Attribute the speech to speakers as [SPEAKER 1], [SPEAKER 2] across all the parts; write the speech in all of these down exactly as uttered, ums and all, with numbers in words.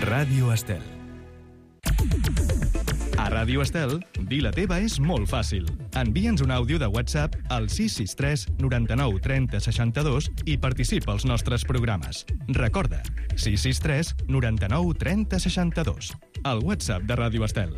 [SPEAKER 1] Ràdio Estel. A Ràdio Estel, dir la teva és molt fàcil. Envia'ns un àudio de WhatsApp al sis sis tres noranta-nou trenta seixanta-dos i participa als nostres programes. Recorda, sis sis tres noranta-nou trenta seixanta-dos. El WhatsApp de Ràdio Estel.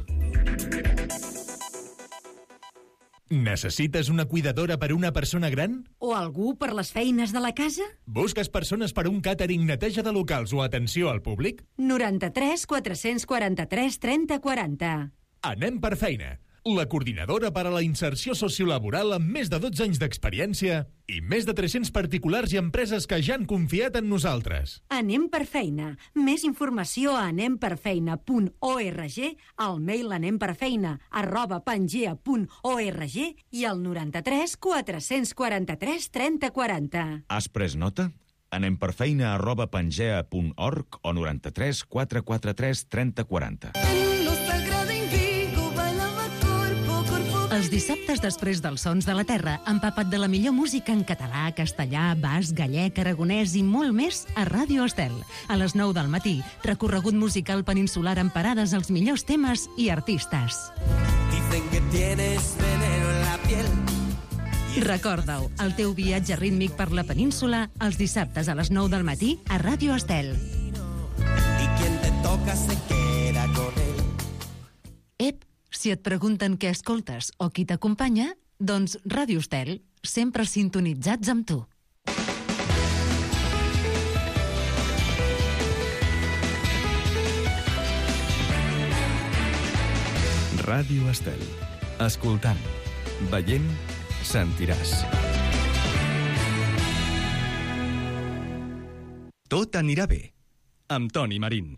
[SPEAKER 2] Necessites una cuidadora per una persona gran?
[SPEAKER 3] O algú per les feines de la casa?
[SPEAKER 2] Busques persones per un càtering, neteja de locals o atenció al públic?
[SPEAKER 3] noranta-tres quatre-cents quaranta-tres trenta quaranta.
[SPEAKER 2] Anem per feina. La coordinadora per a la inserció sociolaboral amb més de dotze anys d'experiència i més de tres-cents particulars i empreses que ja han confiat en nosaltres.
[SPEAKER 3] Anem per feina. Més informació a anem per feina punt org, al mail anemperfeina arroba pangea punt org i al noranta-tres quatre-cents quaranta-tres trenta quaranta.
[SPEAKER 4] Has pres nota? Anem per feina arroba pangea punt org o noranta-tres quatre quaranta-tres trenta quaranta.
[SPEAKER 5] Els dissabtes després dels Sons de la Terra, empapat de la millor música en català, castellà, basc, gallec, aragonès i molt més a Ràdio Estel. A les nou del matí, recorregut musical peninsular amb parades als millors temes i artistes.
[SPEAKER 6] Dicen que tienes veneno en la piel.
[SPEAKER 5] Recorda-ho, el teu viatge rítmic per la península els dissabtes a les nou del matí a Ràdio Estel.
[SPEAKER 6] Y quien te toca se queda con él.
[SPEAKER 5] Ep, si et pregunten què escoltes o qui t'acompanya, doncs Ràdio Estel, sempre sintonitzats amb tu.
[SPEAKER 1] Ràdio Estel. Escoltant, veient, sentiràs. Tot anirà bé, amb Toni Marín.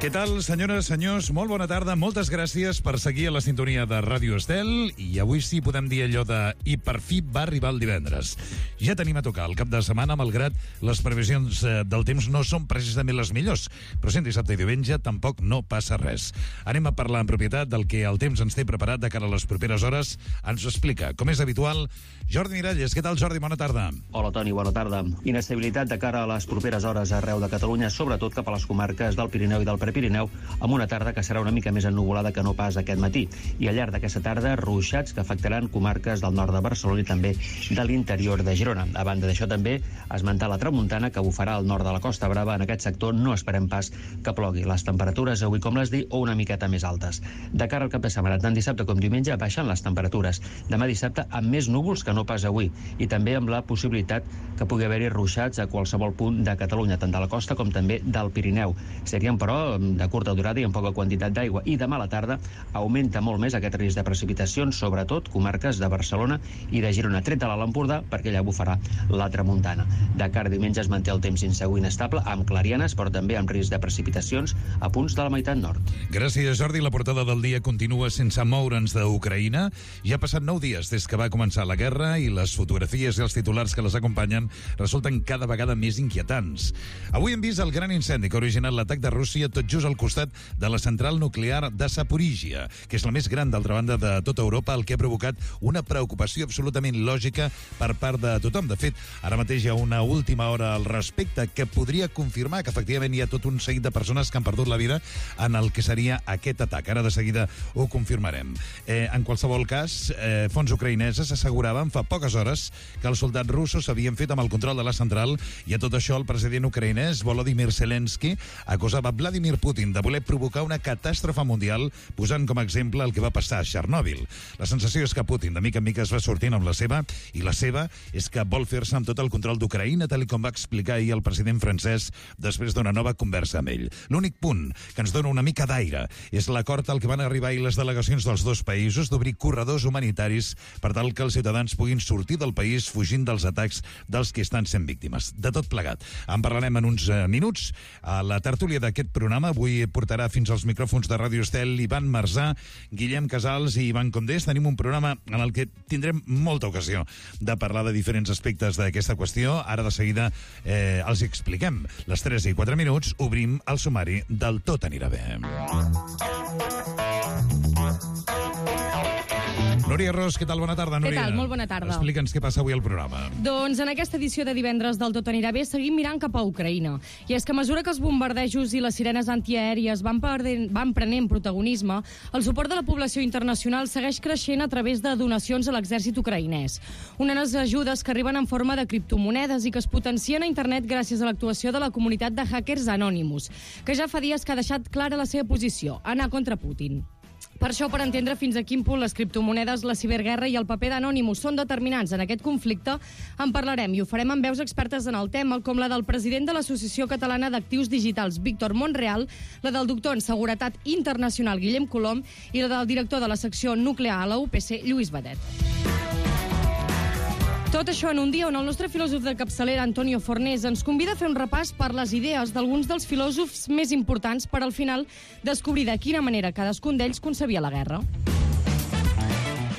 [SPEAKER 7] Què tal, senyores, senyors? Molt bona tarda, moltes gràcies per seguir a la sintonia de Ràdio Estel i avui sí podem dir allò de i per fi va arribar el divendres. Ja tenim a tocar el cap de setmana, malgrat les previsions del temps no són precisament les millors, però sent dissabte i diumenge tampoc no passa res. Anem a parlar en propietat del que el temps ens té preparat de cara a les properes hores. Ens ho explica, com és habitual, Jordi Miralles. Què tal, Jordi? Bona tarda.
[SPEAKER 8] Hola, Toni, bona tarda. Inestabilitat de cara a les properes hores arreu de Catalunya, sobretot cap a les comarques del Pirineu i del Prepirineu, amb una tarda que serà una mica més ennuvolada que no pas aquest matí. I al llarg d'aquesta tarda, ruixats que afectaran comarques del nord de Barcelona i també de l'interior de Girona. A banda d'això, també esmentar la tramuntana que bufarà al nord de la Costa Brava. En aquest sector no esperem pas que plogui. Les temperatures avui, com les dic, o una miqueta més altes. De cara al cap de setmana, tant dissabte com diumenge, baixen les temperatures. Demà dissabte amb més núvols que no pas avui, i també amb la possibilitat que pugui haver-hi ruixats a qualsevol punt de Catalunya, tant de la costa com també del Pirineu. Serien, però, de curta durada i amb poca quantitat d'aigua. I demà a la tarda augmenta molt més aquest risc de precipitacions, sobretot comarques de Barcelona i de Girona, tret de l'Alt Empordà, perquè allà bufarà la tramuntana. De cara a diumenge es manté el temps insegur i inestable, amb clarianes, però també amb risc de precipitacions a punts de la meitat nord.
[SPEAKER 7] Gràcies, Jordi. La portada del dia continua sense moure'ns d'Ucraïna. Ja ha passat nou dies des que va començar la guerra i les fotografies i els titulars que les acompanyen resulten cada vegada més inquietants. Avui hem vist el gran incendi que ha originat l'atac de Rússia tot just al costat de la central nuclear de Zaporíjia, que és la més gran, d'altra banda, de tota Europa, el que ha provocat una preocupació absolutament lògica per part de tothom. De fet, ara mateix hi ha una última hora al respecte que podria confirmar que efectivament hi ha tot un seguit de persones que han perdut la vida en el que seria aquest atac. Ara de seguida ho confirmarem. Eh, en qualsevol cas, eh, fonts ucraïneses asseguraven fa poques hores que els soldats russos s'havien fet amb el control de la central, i a tot això el president ucraïnès Volodymyr Zelensky acusava Vladimir Putin de voler provocar una catàstrofe mundial, posant com a exemple el que va passar a Chernobyl. La sensació és que Putin de mica en mica es va sortint amb la seva, i la seva és que vol fer-se amb tot el control d'Ucraïna, tal com va explicar ahir el president francès després d'una nova conversa amb ell. L'únic punt que ens dona una mica d'aire és l'acord al que van arribar ahir les delegacions dels dos països d'obrir corredors humanitaris per tal que els ciutadans puguin sortir del país fugint dels atacs dels que estan sent víctimes. De tot plegat. En parlarem en uns eh, minuts. A la tertúlia d'aquest programa avui portarà fins als micròfons de Ràdio Estel Ivan Marzà, Guillem Casals i Ivan Condés. Tenim un programa en el que tindrem molta ocasió de parlar de diferents aspectes d'aquesta qüestió. Ara de seguida eh, els expliquem. Les tres i quatre minuts obrim el sumari del Tot anirà bé. Núria Ros, què tal? Bona tarda, Núria.
[SPEAKER 9] Què tal? Molt bona tarda.
[SPEAKER 7] Explica'ns què passa avui al programa.
[SPEAKER 9] Doncs en aquesta edició de divendres del Tot anirà bé seguim mirant cap a Ucraïna. I és que a mesura que els bombardejos i les sirenes antiaèries van, perdent, van prenent protagonisme, el suport de la població internacional segueix creixent a través de donacions a l'exèrcit ucraïnès. Unes ajudes que arriben en forma de criptomonedes i que es potencien a internet gràcies a l'actuació de la comunitat de hackers Anonymous, que ja fa dies que ha deixat clara la seva posició, anar contra Putin. Per això, per entendre fins a quin punt les criptomonedes, la ciberguerra i el paper d'Anonymous són determinants en aquest conflicte, en parlarem i ho farem amb veus expertes en el tema, com la del president de l'Associació Catalana d'Actius Digitals, Víctor Monreal, la del doctor en Seguretat Internacional, Guillem Colom, i la del director de la secció nuclear a la U P C, Lluís Badet. Tot això en un dia on el nostre filòsof de capçalera, Antonio Fornés, ens convida a fer un repàs per les idees d'alguns dels filòsofs més importants per al final descobrir de quina manera cadascun d'ells concebia la guerra.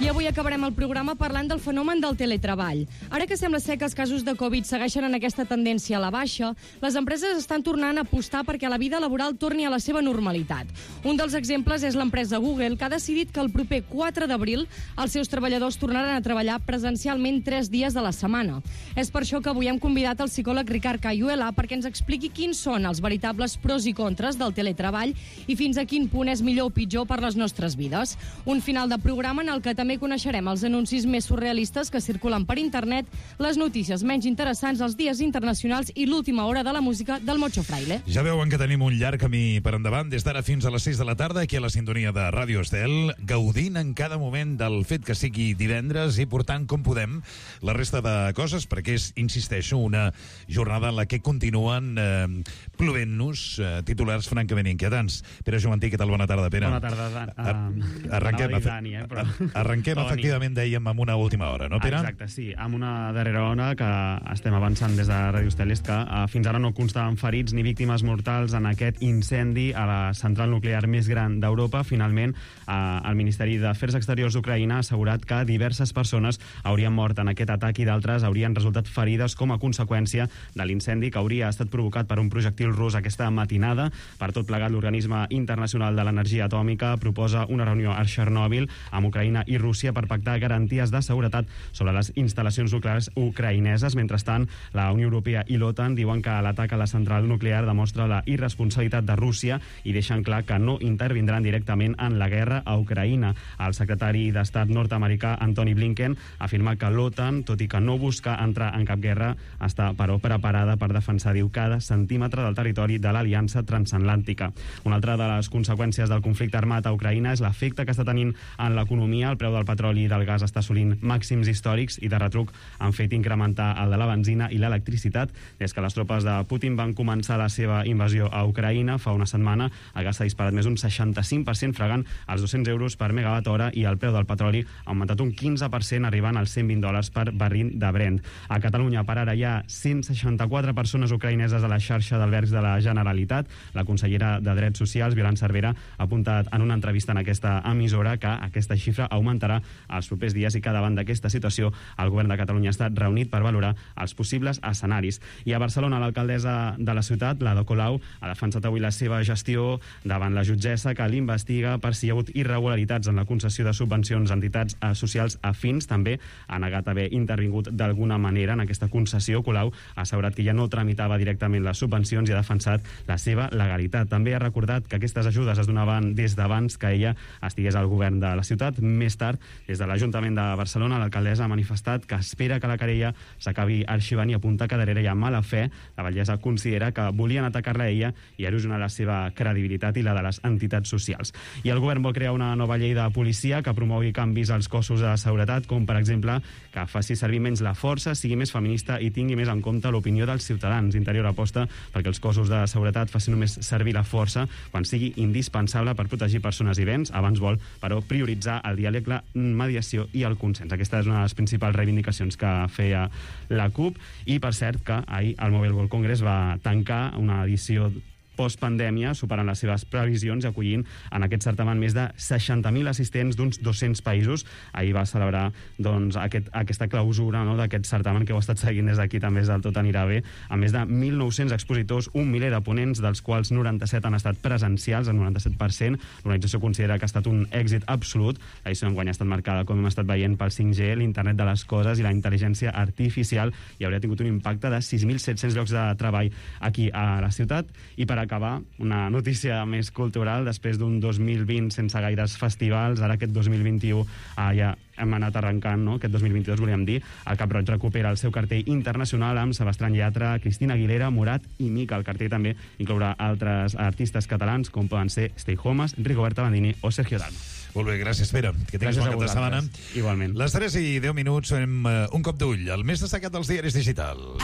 [SPEAKER 9] I avui acabarem el programa parlant del fenomen del teletreball. Ara que sembla ser que els casos de Covid segueixen en aquesta tendència a la baixa, les empreses estan tornant a apostar perquè la vida laboral torni a la seva normalitat. Un dels exemples és l'empresa Google, que ha decidit que el proper quatre d'abril els seus treballadors tornaran a treballar presencialment tres dies de la setmana. És per això que avui hem convidat el psicòleg Ricard Cayuela perquè ens expliqui quins són els veritables pros i contres del teletreball i fins a quin punt és millor o pitjor per les nostres vides. Un final de programa en el que també coneixerem els anuncis més surrealistes que circulen per internet, les notícies menys interessants, els dies internacionals i l'última hora de la música del Mocho Fraile.
[SPEAKER 7] Ja veuen que tenim un llarg camí per endavant des d'ara fins a les sis de la tarda aquí a la sintonia de Ràdio Estel, gaudint en cada moment del fet que sigui divendres i portant com podem la resta de coses, perquè és, insisteixo, una jornada en la que continuen eh, plovent-nos eh, titulars francament inquietants. Pere Joventí, què tal? Bona tarda, Pere.
[SPEAKER 10] Bona tarda, Dan. Uh,
[SPEAKER 7] Arrenquem,
[SPEAKER 10] Dani, eh, però...
[SPEAKER 7] arrenquem efectivament, dèiem, amb una última hora, no, Pere?
[SPEAKER 10] Exacte, sí, amb una darrera hora que estem avançant des de Ràdio Estel, és que uh, fins ara no constaven ferits ni víctimes mortals en aquest incendi a la central nuclear més gran d'Europa. Finalment, uh, el Ministeri d'Afers Exteriors d'Ucraïna ha assegurat que diverses persones haurien mort en aquest atac i d'altres haurien resultat ferides com a conseqüència de l'incendi que hauria estat provocat per un projectil rus aquesta matinada. Per tot plegat, l'Organisme Internacional de l'Energia Atòmica proposa una reunió a Chernobyl amb Ucraïna i Rússia per pactar garanties de seguretat sobre les instal·lacions nuclears ucraïneses. Mentrestant, la Unió Europea i l'OTAN diuen que l'atac a la central nuclear demostra la irresponsabilitat de Rússia i deixen clar que no intervindran directament en la guerra a Ucraïna. El secretari d'Estat nord-americà, Antony Blinken, afirma que l'OTAN, tot i que no busca entrar en cap guerra, està, però, preparada per defensar, diu, cada centímetre del territori de l'Aliança Transatlàntica. Una altra de les conseqüències del conflicte armat a Ucraïna és l'efecte que està tenint en l'economia. El preu del petroli i del gas està assolint màxims històrics i de retruc han fet incrementar el de la benzina i l'electricitat. Des que les tropes de Putin van començar la seva invasió a Ucraïna fa una setmana, el gas s'ha disparat més d'un seixanta-cinc per cent, fregant els dos-cents euros per megawatt hora, i el preu del petroli ha augmentat un quinze per cent, arribant als cent vint dòlars per barril de Brent. A Catalunya, per ara, hi ha cent seixanta-quatre persones ucraïneses a la xarxa d'albergs de la Generalitat. La consellera de Drets Socials, Violant Cervera, ha apuntat en una entrevista en aquesta emissora que aquesta xifra augmentarà els propers dies i que davant d'aquesta situació el govern de Catalunya ha estat reunit per valorar els possibles escenaris. I a Barcelona, l'alcaldessa de la ciutat, l'Ada Colau, ha defensat avui la seva gestió davant la jutgessa que l'investiga per si hi ha hagut irregularitats en la concessió de subvencions a entitats socials afins. També ha negat haver intervingut d'alguna manera en aquesta concessió. Colau ha assegurat que ja no tramitava directament les subvencions i ha defensat la seva legalitat. També ha recordat que aquestes ajudes es donaven des d'abans que ella estigués al govern de la ciutat. Més tard, des de l'Ajuntament de Barcelona, l'alcaldessa ha manifestat que espera que la querella s'acabi arxivant i apunta que darrere hi ha mala fe. La batllessa considera que volien atacar-la a ella i erosionar la seva credibilitat i la de les entitats socials. I el govern vol crear una nova llei de policia que promogui canvis als cossos de seguretat, com per exemple que faci servir menys la força, sigui més feminista i tingui més en compte l'opinió dels ciutadans. Interior aposta perquè els cossos de seguretat facin només servir la força quan sigui indispensable per protegir persones i béns. Abans vol, però, prioritzar el diàleg, la mediació i el consens. Aquesta és una de les principals reivindicacions que feia la CUP. I, per cert, que ahir el Mobile World Congress va tancar una edició postpandèmia, superant les seves previsions i acollint en aquest certamen més de seixanta mil assistents d'uns dos-cents països. Ahir va celebrar doncs, aquest, aquesta clausura, no?, d'aquest certamen que heu estat seguint des d'aquí, també des del Tot Anirà Bé, amb més de mil nou-cents expositors, un miler de ponents, dels quals noranta-set han estat presencials, el noranta-set per cent. L'organització considera que ha estat un èxit absolut. L'edició d'enguany ha estat marcada, com hem estat veient, pel cinc G, l'internet de les coses i la intel·ligència artificial, i hauria tingut un impacte de sis mil set-cents llocs de treball aquí a la ciutat. I per acabar, una notícia més cultural, després d'un dos mil vint sense gaires festivals, ara aquest dos mil vint-i-u ah, ja hem anat arrencant, no?, aquest dos mil vint-i-dos, volíem dir, el Cap Roig recupera el seu cartell internacional amb Sebastián Yatra, Cristina Aguilera, Morat i Mica. El cartell també inclourà altres artistes catalans, com poden ser Stay Homes, Rigoberta Bandini o Sergio Dalma.
[SPEAKER 7] Molt bé, gràcies, Pere. Que tinguis bon cap de setmana.
[SPEAKER 10] Igualment.
[SPEAKER 7] Les tres i deu minuts, fem uh, un cop d'ull, el més destacat dels diaris digitals.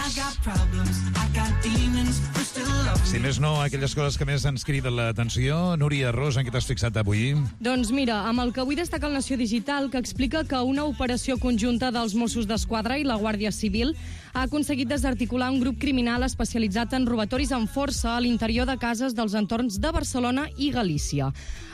[SPEAKER 7] Si més no, aquelles coses que més ens criden l'atenció. Núria Ros, en què t'has fixat avui?
[SPEAKER 9] Doncs mira, amb el que avui destaca el Nació Digital, que explica que una operació conjunta dels Mossos d'Esquadra i la Guàrdia Civil ha aconseguit desarticular un grup criminal especialitzat en robatoris amb força a l'interior de cases dels entorns de Barcelona i Galícia.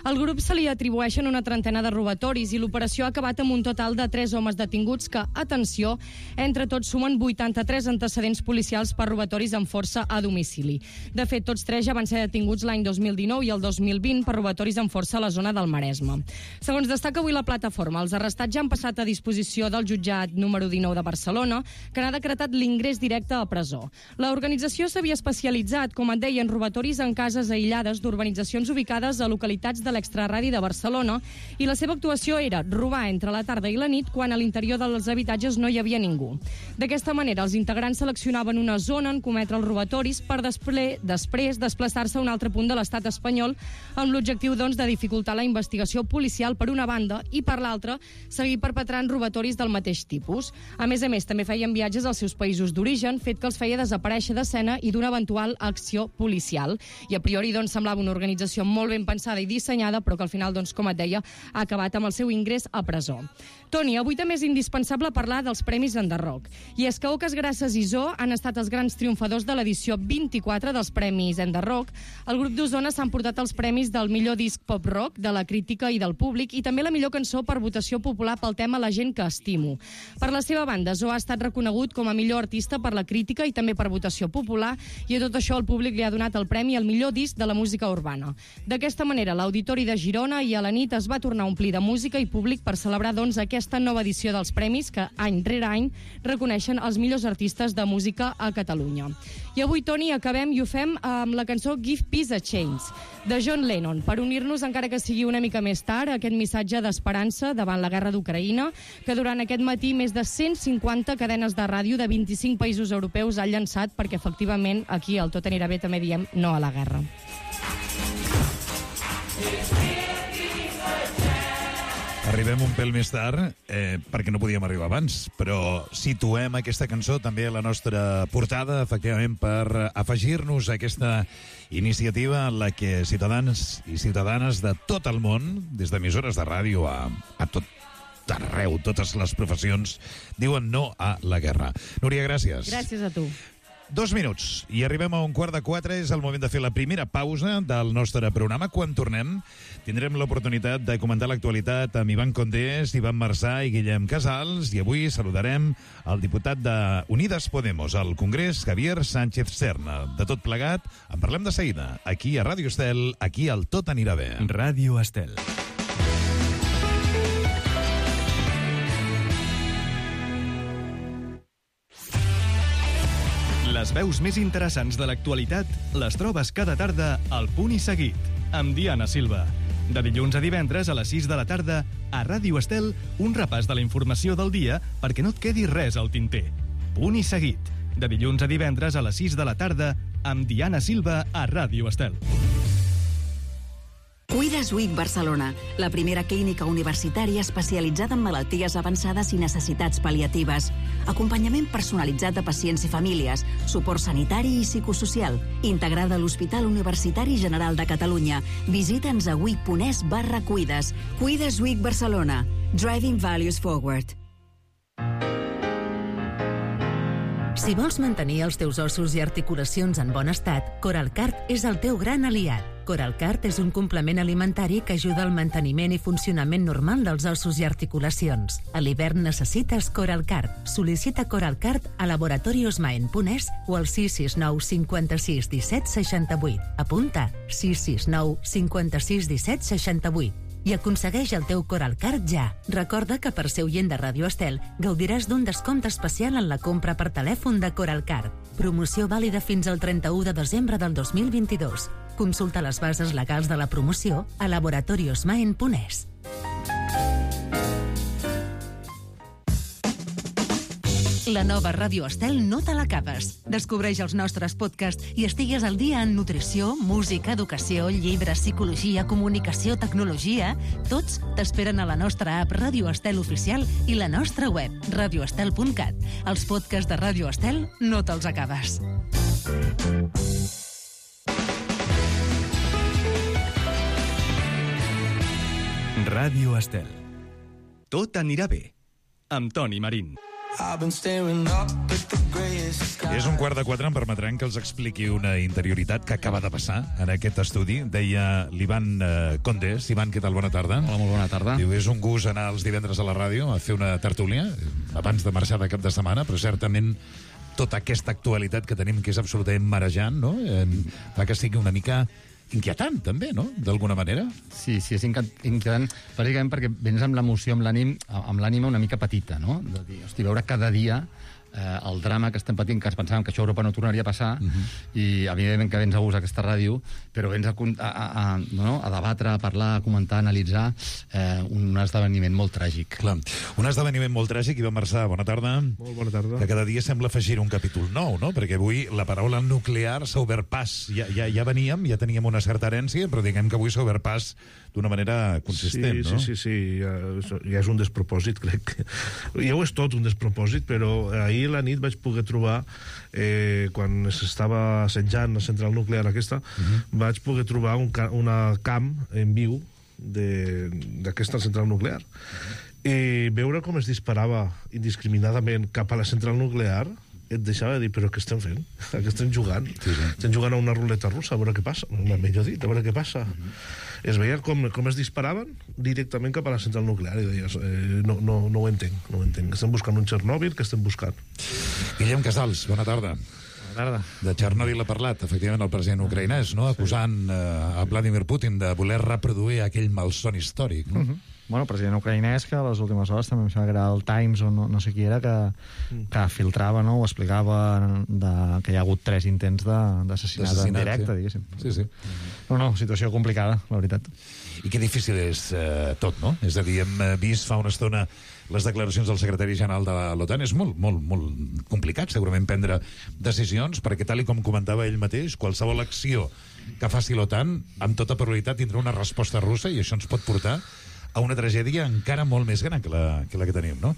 [SPEAKER 9] Al grup se li atribueixen una trentena de robatoris i l'operació ha acabat amb un total de tres homes detinguts que, atenció, entre tots sumen vuitanta-tres antecedents policials per robatoris amb força a domicili. De fet, tots tres ja van ser detinguts l'any dos mil dinou i el dos mil vint per robatoris amb força a la zona del Maresme. Segons destaca avui la plataforma, els arrestats ja han passat a disposició del jutjat número dinou de Barcelona, que n'ha decretat l'ingrés directe a presó. L'organització s'havia especialitzat, com et deia, en robatoris en cases aïllades d'urbanitzacions ubicades a localitats de l'extraradi de Barcelona, i la seva actuació era robar entre la tarda i la nit quan a l'interior dels habitatges no hi havia ningú. D'aquesta manera, els integrants seleccionaven una zona en cometre els robatoris per després, després desplaçar-se a un altre punt de l'estat espanyol amb l'objectiu, doncs, de dificultar la investigació policial per una banda i per l'altra seguir perpetrant robatoris del mateix tipus. A més a més, també feien viatges als seus països d'origen, fet que els feia desaparèixer d'escena i d'una eventual acció policial. I a priori, doncs, semblava una organització molt ben pensada i dissenyada, però que al final, doncs, com et deia, ha acabat amb el seu ingrés a presó. Toni, avui també és indispensable parlar dels Premis Enderrock. I és que Oques Grasses i Zoo han estat els grans triomfadors de l'edició vint-i-quatre dels Premis Enderrock. El grup d'Osona s'ha emportat els premis del millor disc pop-rock, de la crítica i del públic, i també la millor cançó per votació popular pel tema La gent que estimo. Per la seva banda, Zoo ha estat reconegut com a millor artista per la crítica i també per votació popular, i a tot això el públic li ha donat el premi al millor disc de la música urbana. D'aquesta manera, l'Auditori de Girona i a la nit es va tornar a omplir de música i públic per celebrar, doncs, aquesta nova edició dels premis que, any rere any, reconeixen els millors artistes de música a Catalunya. I avui, Toni, acabem i ho fem amb la cançó Give Peace a Chance, de John Lennon, per unir-nos, encara que sigui una mica més tard, a aquest missatge d'esperança davant la guerra d'Ucraïna, que durant aquest matí més de cent cinquanta cadenes de ràdio de vint-i-cinc països europeus han llançat, perquè efectivament aquí al Tot Anirà Bé també diem no a la guerra.
[SPEAKER 7] Arribem un pèl més tard, eh, perquè no podíem arribar abans, però situem aquesta cançó també a la nostra portada, efectivament, per afegir-nos a aquesta iniciativa en la que ciutadans i ciutadanes de tot el món, des d'emissores de ràdio a, a tot arreu, totes les professions, diuen no a la guerra. Núria, gràcies.
[SPEAKER 9] Gràcies a tu.
[SPEAKER 7] Dos minuts i arribem a un quart de quatre. És el moment de fer la primera pausa del nostre programa. Quan tornem tindrem l'oportunitat de comentar l'actualitat amb Ivan Condés, Ivan Marsà i Guillem Casals, i avui saludarem el diputat de Unides Podemos al Congrés, Javier Sánchez Serna. De tot plegat, en parlem de seguida, aquí a Ràdio Estel, aquí al Tot Anirà Bé.
[SPEAKER 1] Ràdio Estel. Les veus més interessants de l'actualitat les trobes cada tarda al Punt i Seguit, amb Diana Silva. De dilluns a divendres a les sis de la tarda, a Ràdio Estel, un repàs de la informació del dia perquè no et quedi res al tinter. Punt i Seguit, de dilluns a divendres a les sis de la tarda, amb Diana Silva a Ràdio Estel.
[SPEAKER 11] Cuides Week Barcelona, la primera clínica universitària especialitzada en malalties avançades i necessitats pal·liatives. Acompanyament personalitzat de pacients i famílies, suport sanitari i psicosocial, integrada a l'Hospital Universitari General de Catalunya. Visita'ns a week punt es barra cuides. Cuides Week Barcelona. Driving Values Forward.
[SPEAKER 5] Si vols mantenir els teus ossos i articulacions en bon estat, Coralcart és el teu gran aliat. Coralcart és un complement alimentari que ajuda al manteniment i funcionament normal dels ossos i articulacions. A l'hivern necessites Coralcart. Sol·licita Coralcart a laboratorios maen punt es o al sis sis nou cinquanta-sis disset seixanta-vuit. Apunta sis sis nou cinquanta-sis disset seixanta-vuit. I aconsegueix el teu Coralcart ja. Recorda que per ser oient de Ràdio Estel gaudiràs d'un descompte especial en la compra per telèfon de Coralcart. Promoció vàlida fins al trenta-u de desembre del dos mil vint-i-dos. Consulta les bases legals de la promoció a laboratorios maen punt es. La nova Ràdio Estel no te l'acabes. Descobreix els nostres podcasts i estigues al dia en nutrició, música, educació, llibres, psicologia, comunicació, tecnologia. Tots t'esperen a la nostra app Ràdio Estel Oficial i la nostra web, radio estel punt cat. Els podcasts de Ràdio Estel no te'ls acabes.
[SPEAKER 1] Ràdio Estel. Tot anirà bé. Amb Toni Marín.
[SPEAKER 7] És un quart de quatre, em permetran que els expliqui una interioritat que acaba de passar en aquest estudi. Deia l'Ivan eh, Condes. Ivan, què tal? Bona tarda.
[SPEAKER 12] Hola, molt bona tarda.
[SPEAKER 7] Diu, és un gust anar els divendres a la ràdio a fer una tertúlia abans de marxar de cap de setmana, però certament tota aquesta actualitat que tenim, que és absolutament marejant, no? Eh, fa que sigui una mica inquietant, també, no?, d'alguna manera.
[SPEAKER 12] Sí, sí, és inquietant, bàsicament perquè vens amb l'emoció, amb l'ànim, amb l'ànima una mica petita, no?, de dir, hosti, veure cada dia eh, el drama que estem patint, que ens pensàvem que això a Europa no tornaria a passar, uh-huh. i evidentment que vens a gust aquesta ràdio, però vens a, a, a, no, a debatre, a parlar, a comentar, a analitzar eh, un esdeveniment molt tràgic.
[SPEAKER 7] Clar, un esdeveniment molt tràgic. Ivan Marçà, bona tarda.
[SPEAKER 13] Molt bona tarda.
[SPEAKER 7] Que cada dia sembla afegir un capítol nou, no?, perquè avui la paraula nuclear s'ha obert pas. Ja, ja, ja veníem, ja teníem una certa herència, però diguem que avui s'ha obert pas d'una manera consistent,
[SPEAKER 13] sí,
[SPEAKER 7] no?
[SPEAKER 13] Sí, sí, sí, ja, ja és un despropòsit, crec. Ja ho és tot, un despropòsit, però ahir a la nit vaig poder trobar, eh, quan s'estava assetjant la central nuclear aquesta, uh-huh. vaig poder trobar un ca una camp en viu d'aquesta central nuclear. Uh-huh. I veure com es disparava indiscriminadament cap a la central nuclear et deixava de dir, però què estem fent? Què estem jugant? Sí, sí. Estem jugant a una ruleta russa, a veure què passa. Millor dit, a veure què passa. Uh-huh. Es veia com, com es disparaven directament cap a la central nuclear i deies, eh, no, no, no ho entenc, no ho entenc. Estem buscant un Txernòbil, que estem buscant.
[SPEAKER 7] Guillem Casals, bona tarda.
[SPEAKER 14] Bona tarda.
[SPEAKER 7] De Txernòbil ha parlat, efectivament, el president ucraïnès, no?, acusant eh, a Vladimir Putin de voler reproduir aquell malson històric, no?
[SPEAKER 14] Uh-huh. Bueno, el president ucraïnès, que a les últimes hores també em sembla que era el Times o no, no sé qui era, que, que filtrava, no?, o explicava de, que hi ha hagut tres intents d'assassinat en directe, sí. diguéssim.
[SPEAKER 7] Sí, sí.
[SPEAKER 14] No, no, situació complicada, la veritat.
[SPEAKER 7] I que difícil és eh, tot, no? És a dir, hem vist fa una estona les declaracions del secretari general de l'OTAN. És molt, molt, molt complicat, segurament, prendre decisions, perquè, tal i com comentava ell mateix, qualsevol acció que faci l'OTAN, amb tota probabilitat, tindrà una resposta russa, i això ens pot portar a una tragèdia encara molt més gran que la que, la que tenim, no?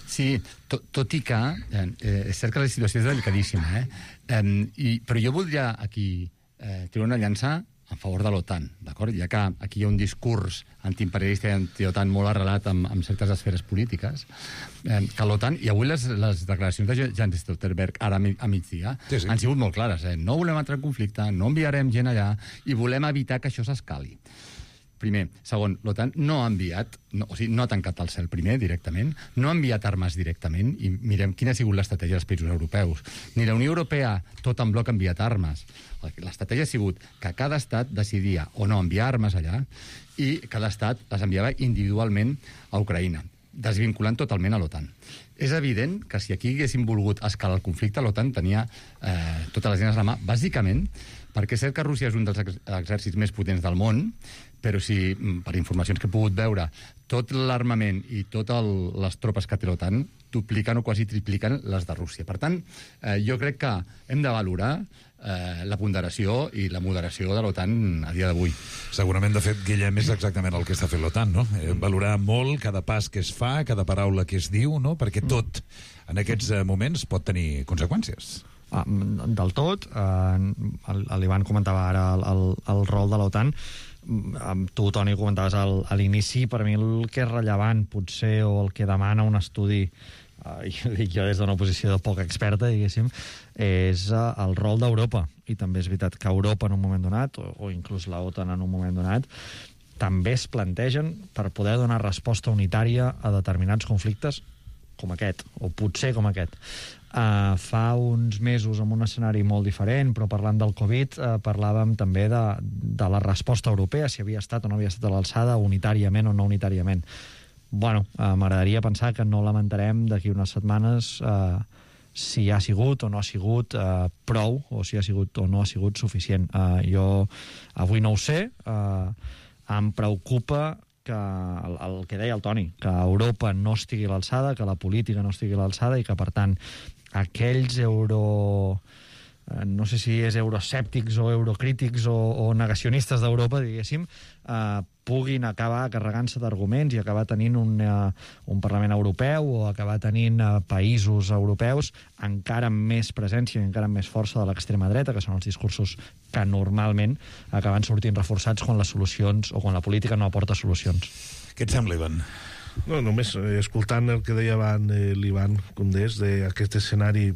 [SPEAKER 12] Sí, to, tot i que eh, és cert que la situació és delicadíssima, eh? eh i, però jo voldria aquí eh, treure una llança a favor de l'OTAN, d'acord? Ja que aquí hi ha un discurs antiimperialista i anti-OTAN molt arrelat amb, amb certes esferes polítiques, eh, que l'OTAN, i avui les, les declaracions de Jens Stoltenberg ara a migdia sí, sí. han sigut molt clares, eh? No volem entrar en conflicte, no enviarem gent allà i volem evitar que això s'escali. Primer. Segon, l'OTAN no ha enviat, no, o sigui, no ha tancat el cel primer directament, no ha enviat armes directament, i mirem quina ha sigut l'estratègia dels països europeus. Ni la Unió Europea, tot en bloc, ha enviat armes. L'estratègia ha sigut que cada estat decidia o no enviar armes allà i cada estat les enviava individualment a Ucraïna, desvinculant totalment a l'OTAN. És evident que si aquí haguéssim volgut escalar el conflicte, l'OTAN tenia eh, totes les eines a la mà, bàsicament perquè és cert que Rússia és un dels exèrcits més potents del món, però si, per informacions que he pogut veure, tot l'armament i totes les tropes que té l'OTAN dupliquen o quasi tripliquen les de Rússia. Per tant, eh, jo crec que hem de valorar eh, la ponderació i la moderació de l'OTAN a dia d'avui.
[SPEAKER 7] Segurament, de fet, Guillem, és exactament el que està fent l'OTAN, no? Eh, valorar molt cada pas que es fa, cada paraula que es diu, no? Perquè tot, en aquests moments, pot tenir conseqüències.
[SPEAKER 14] Ah, del tot, eh, l'Ivan comentava ara el, el, el rol de l'OTAN. Tu, Toni, comentaves al, a l'inici, per mi el que és rellevant, potser, o el que demana un estudi uh, i ho dic jo des d'una posició de poc experta, diguéssim, és uh, el rol d'Europa. I també és veritat que Europa en un moment donat, o, o inclús la OTAN en un moment donat, també es plantegen per poder donar resposta unitària a determinats conflictes com aquest, o potser com aquest. Uh, fa uns mesos, en un escenari molt diferent, però parlant del Covid, uh, parlàvem també de, de la resposta europea, si havia estat o no havia estat a l'alçada, unitàriament o no unitàriament. Bueno, uh, m'agradaria pensar que no lamentarem d'aquí unes setmanes uh, si ha sigut o no ha sigut uh, prou, o si ha sigut o no ha sigut suficient. Uh, jo avui no ho sé, uh, em preocupa que el, el que deia el Toni, que Europa no estigui a l'alçada, que la política no estigui a l'alçada i que, per tant, aquells euro... no sé si és euroscèptics o eurocrítics o, o negacionistes d'Europa, diguéssim, eh, puguin acabar carregant-se d'arguments i acabar tenint un, eh, un Parlament Europeu o acabar tenint eh, països europeus encara amb més presència i encara amb més força de l'extrema dreta, que són els discursos que normalment acaben sortint reforçats quan les solucions o quan la política no aporta solucions.
[SPEAKER 7] Què et sembla, Ivan?
[SPEAKER 13] No, només eh, escoltant el que deia abans eh, l'Ivan Condés d'aquest escenari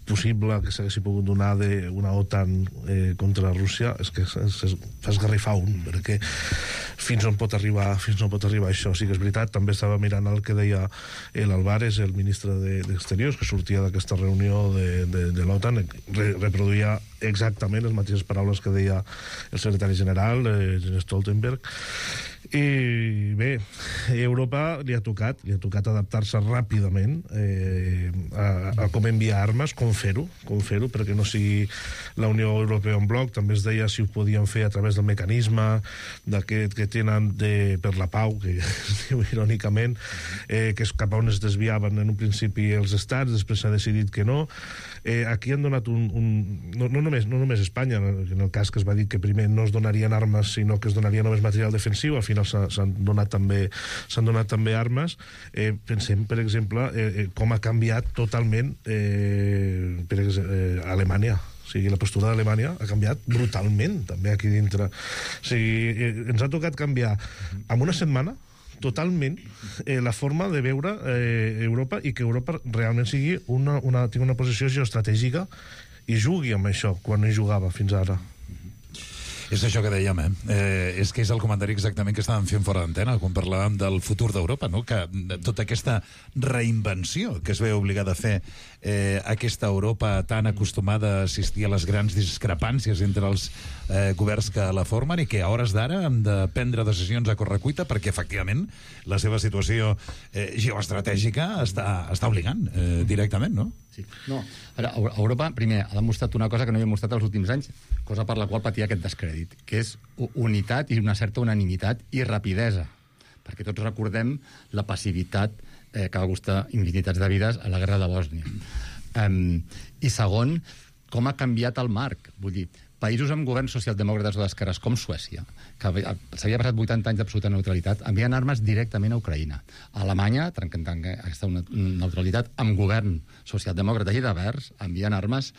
[SPEAKER 13] possible que s'haguessi pogut donar d'una OTAN eh, contra Rússia, és que es, es fa esgarrifar un, perquè fins on pot arribar fins on pot arribar això. Sí que és veritat, també estava mirant el que deia l'Alvarez, el ministre d'Exteriors, que sortia d'aquesta reunió de, de, de l'OTAN, re, reproduïa exactament les mateixes paraules que deia el secretari general, eh, Jens Stoltenberg. I bé, Europa li ha tocat, li ha tocat adaptar-se ràpidament eh, a, a com enviar armes, com fer-ho, com fer-ho, perquè no sigui la Unió Europea en bloc. També es deia si ho podien fer a través del mecanisme d'aquest que tenen de, per la pau, que es diu irònicament, eh, que és cap a on es desviaven en un principi els estats, després s'ha decidit que no. Eh, aquí han donat un... un no, no, només, no només Espanya, en el cas que es va dir que primer no es donarien armes, sinó que es donaria només material defensiu, al final s'han donat també s'han donat també armes. Eh, pensem, per exemple, eh, com ha canviat totalment eh, per exemple, eh, Alemanya. O sigui, la postura d'Alemanya ha canviat brutalment, també aquí dintre. O sigui, eh, ens ha tocat canviar en una setmana totalment eh, la forma de veure eh, Europa, i que Europa realment sigui una, una, tingui una posició geoestratègica i jugui amb això quan no hi jugava fins ara.
[SPEAKER 7] És això que dèiem, eh? eh? És que és el comentari exactament que estàvem fent fora d'antena quan parlàvem del futur d'Europa, no? Que tota aquesta reinvenció que es ve obligada a fer eh, aquesta Europa tan acostumada a assistir a les grans discrepàncies entre els eh, governs que la formen, i que a hores d'ara han de prendre decisions a correcuita perquè, efectivament, la seva situació eh, geoestratègica està, està obligant eh, directament, no?
[SPEAKER 12] Sí. No, ara, Europa, primer, ha demostrat una cosa que no havia mostrat els últims anys, cosa per la qual patia aquest descrèdit, que és unitat i una certa unanimitat i rapidesa. Perquè tots recordem la passivitat eh, que va costar infinitats de vides a la guerra de Bòsnia. Um, I segon, com ha canviat el marc. Vull dir, països amb governs socialdemòcrates o d'esquerres com Suècia, que s'havia passat vuitanta anys d'absoluta neutralitat, envien armes directament a Ucraïna. A Alemanya, trencant aquesta neutralitat, amb govern socialdemòcrata i de verds, envien armes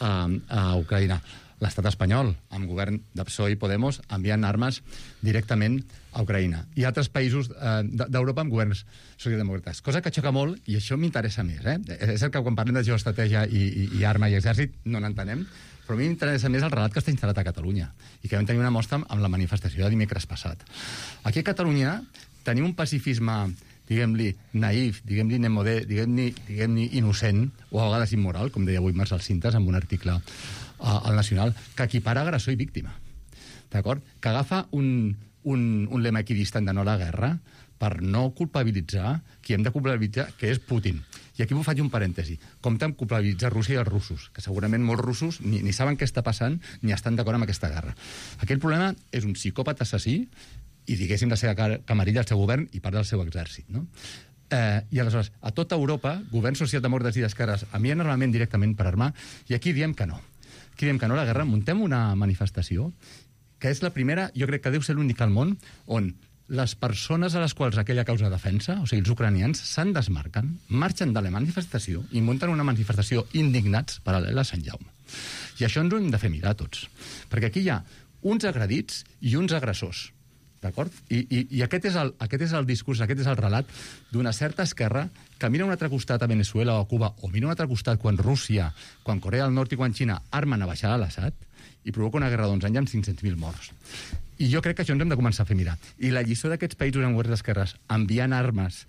[SPEAKER 12] a, a Ucraïna. L'estat espanyol, amb govern de P S O E i Podemos, envien armes directament a Ucraïna. I altres països eh, d'Europa amb governs socialdemòcrates. Cosa que xoca molt, i això m'interessa més. Eh? És cert que quan parlem de geoestratègia i, i, i arma i exèrcit no n'entenem, però a mi m'interessa més el relat que està instal·lat a Catalunya i que vam tenir una mostra amb la manifestació de dimecres passat. Aquí a Catalunya tenim un pacifisme, diguem-li, naïf, diguem-li nemodé, diguem-li diguem innocent, o a vegades immoral, com deia avui Marcel Cintas en un article al Nacional, que equipara agressor i víctima. D'acord? Que agafa un, un, un lema equidistant de no a la guerra per no culpabilitzar qui hem de culpabilitzar, que és Putin. I aquí m'ho faig un parèntesi. Compte amb culpabilitzar Rússia i els russos, que segurament molts russos ni, ni saben què està passant ni estan d'acord amb aquesta guerra. Aquell problema és un psicòpata assassí i, diguéssim, la seva camarilla, el seu govern i part del seu exèrcit, no? Eh, I aleshores, a tota Europa, governs socialdemòcrates i d'esquerres envien armament directament per armar, i aquí diem que no. Aquí diem que no a la guerra, muntem una manifestació que és la primera, jo crec que deu ser l'única al món, on les persones a les quals aquella causa defensa, o sigui, els ucranians, se'n desmarquen, marxen de la manifestació i munten una manifestació indignats paral·lela a Sant Jaume. I això ens ho hem de fer mirar tots. Perquè aquí hi ha uns agredits i uns agressors. d'acord? I, i, i aquest, és el, aquest és el discurs, aquest és el relat d'una certa esquerra que mira a un altre costat a Venezuela o a Cuba, o mira a un altre costat quan Rússia, quan Corea del Nord i quan Xina armen a baixar a l'Assad i provoca una guerra d'onze anys amb cinc-cents mil morts. I jo crec que això ens hem de començar a fer mirar. I la lliçó d'aquests països en governs d'esquerres enviant armes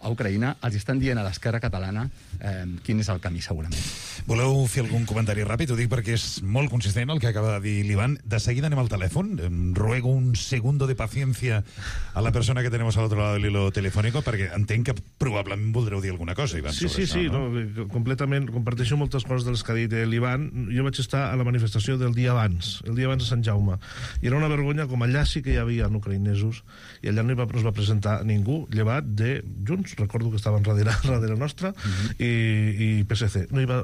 [SPEAKER 12] a Ucraïna, els estan dient a l'esquerra catalana eh, quin és el camí, segurament.
[SPEAKER 7] Voleu fer algun comentari ràpid? Ho dic perquè és molt consistent el que acaba de dir l'Ivan. De seguida anem al telèfon. Ruego un segundo de paciencia a la persona que tenemos al otro lado del hilo telefónico, perquè entenc que probablement voldreu dir alguna cosa, Ivan,
[SPEAKER 13] sí,
[SPEAKER 7] sobre
[SPEAKER 13] sí,
[SPEAKER 7] això,
[SPEAKER 13] sí,
[SPEAKER 7] no?
[SPEAKER 13] no, completament, comparteixo moltes coses de les que ha dit l'Ivan. Jo vaig estar a la manifestació del dia abans, el dia abans de Sant Jaume, i era una vergonya, com allà sí que hi havia ucraïnesos, i allà no hi va, no es va presentar ningú, llevat de Junts, recordo que estaven darrere, darrere nostra, uh-huh. i, i P S C. No, hi va,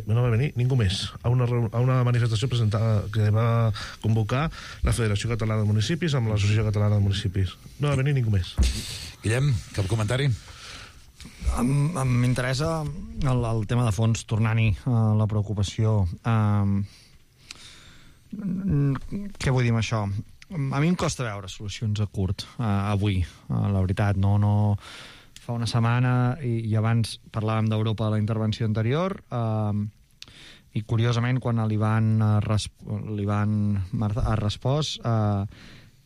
[SPEAKER 13] no va venir ningú més a una, a una manifestació presentada que va convocar la Federació Catalana de Municipis amb l'Associació Catalana de Municipis. No va venir ningú més.
[SPEAKER 7] Guillem, cap comentari?
[SPEAKER 14] M'interessa el, el tema de fons, tornant-hi a la preocupació. Um, què vull dir amb això? A mi em costa veure solucions a curt, uh, avui, uh, la veritat. No, no... Fa una setmana, i, i abans parlàvem d'Europa a la intervenció anterior, uh, i curiosament, quan l'Ivan ha respost, uh,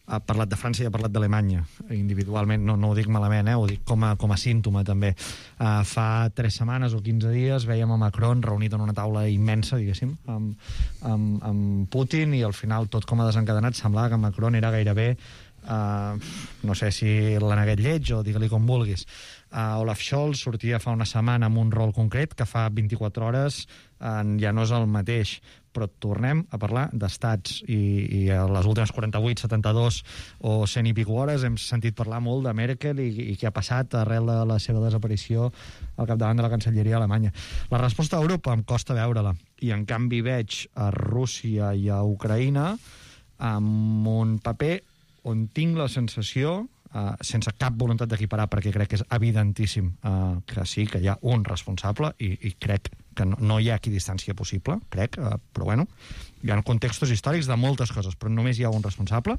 [SPEAKER 14] ha parlat de França i ha parlat d'Alemanya, individualment. No, no ho dic malament, eh? Ho dic com a, com a símptoma, també. Uh, fa tres setmanes o quinze dies vèiem a Macron reunit en una taula immensa, diguéssim, amb, amb, amb Putin, i al final, tot com ha desencadenat, semblava que Macron era gairebé Uh, no sé si l'aneguet lleig o digue-li com vulguis. uh, Olaf Scholz sortia fa una setmana amb un rol concret que fa vint-i-quatre hores uh, ja no és el mateix, però tornem a parlar d'estats, i, i a les últimes quaranta-vuit, setanta-dos o cent i pico hores hem sentit parlar molt de Merkel i, i què ha passat arrel de la seva desaparició al capdavant de la Cancelleria alemanya. La resposta a Europa em costa veure-la, i en canvi veig a Rússia i a Ucraïna amb un paper on tinc la sensació, uh, sense cap voluntat d'equiparar, perquè crec que és evidentíssim uh, que sí, que hi ha un responsable, i, i crec que no, no hi ha equidistància possible, crec, uh, però bueno, hi ha contextos històrics de moltes coses, però només hi ha un responsable.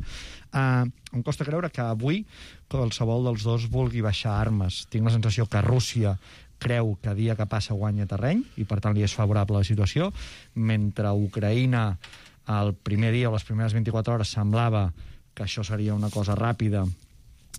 [SPEAKER 14] Uh, em costa creure que avui qualsevol dels dos vulgui baixar armes. Tinc la sensació que Rússia creu que dia que passa guanya terreny, i per tant li és favorable la situació, mentre Ucraïna el primer dia o les primeres vint-i-quatre hores semblava que això seria una cosa ràpida,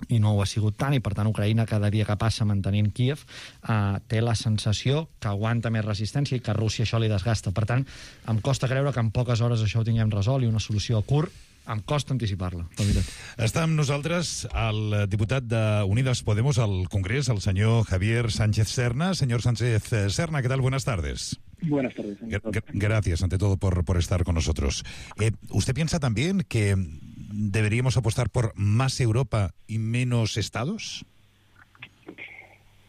[SPEAKER 14] i no ho ha sigut tant, i per tant Ucraïna cada dia que passa mantenint Kíev eh, té la sensació que aguanta més resistència i que a Rússia això li desgasta. Per tant, em costa creure que en poques hores això ho tinguem resolt, i una solució a curt em costa anticipar-la, la veritat.
[SPEAKER 7] Està amb nosaltres el diputat de Unidas Podemos al Congrés, el senyor Javier Sánchez Serna. Señor Sánchez Serna, ¿qué tal? Buenas tardes.
[SPEAKER 15] Buenas tardes.
[SPEAKER 7] G- gracias, ante todo, por, por estar con nosotros. Eh, ¿Usted piensa también que deberíamos apostar por más Europa y menos Estados?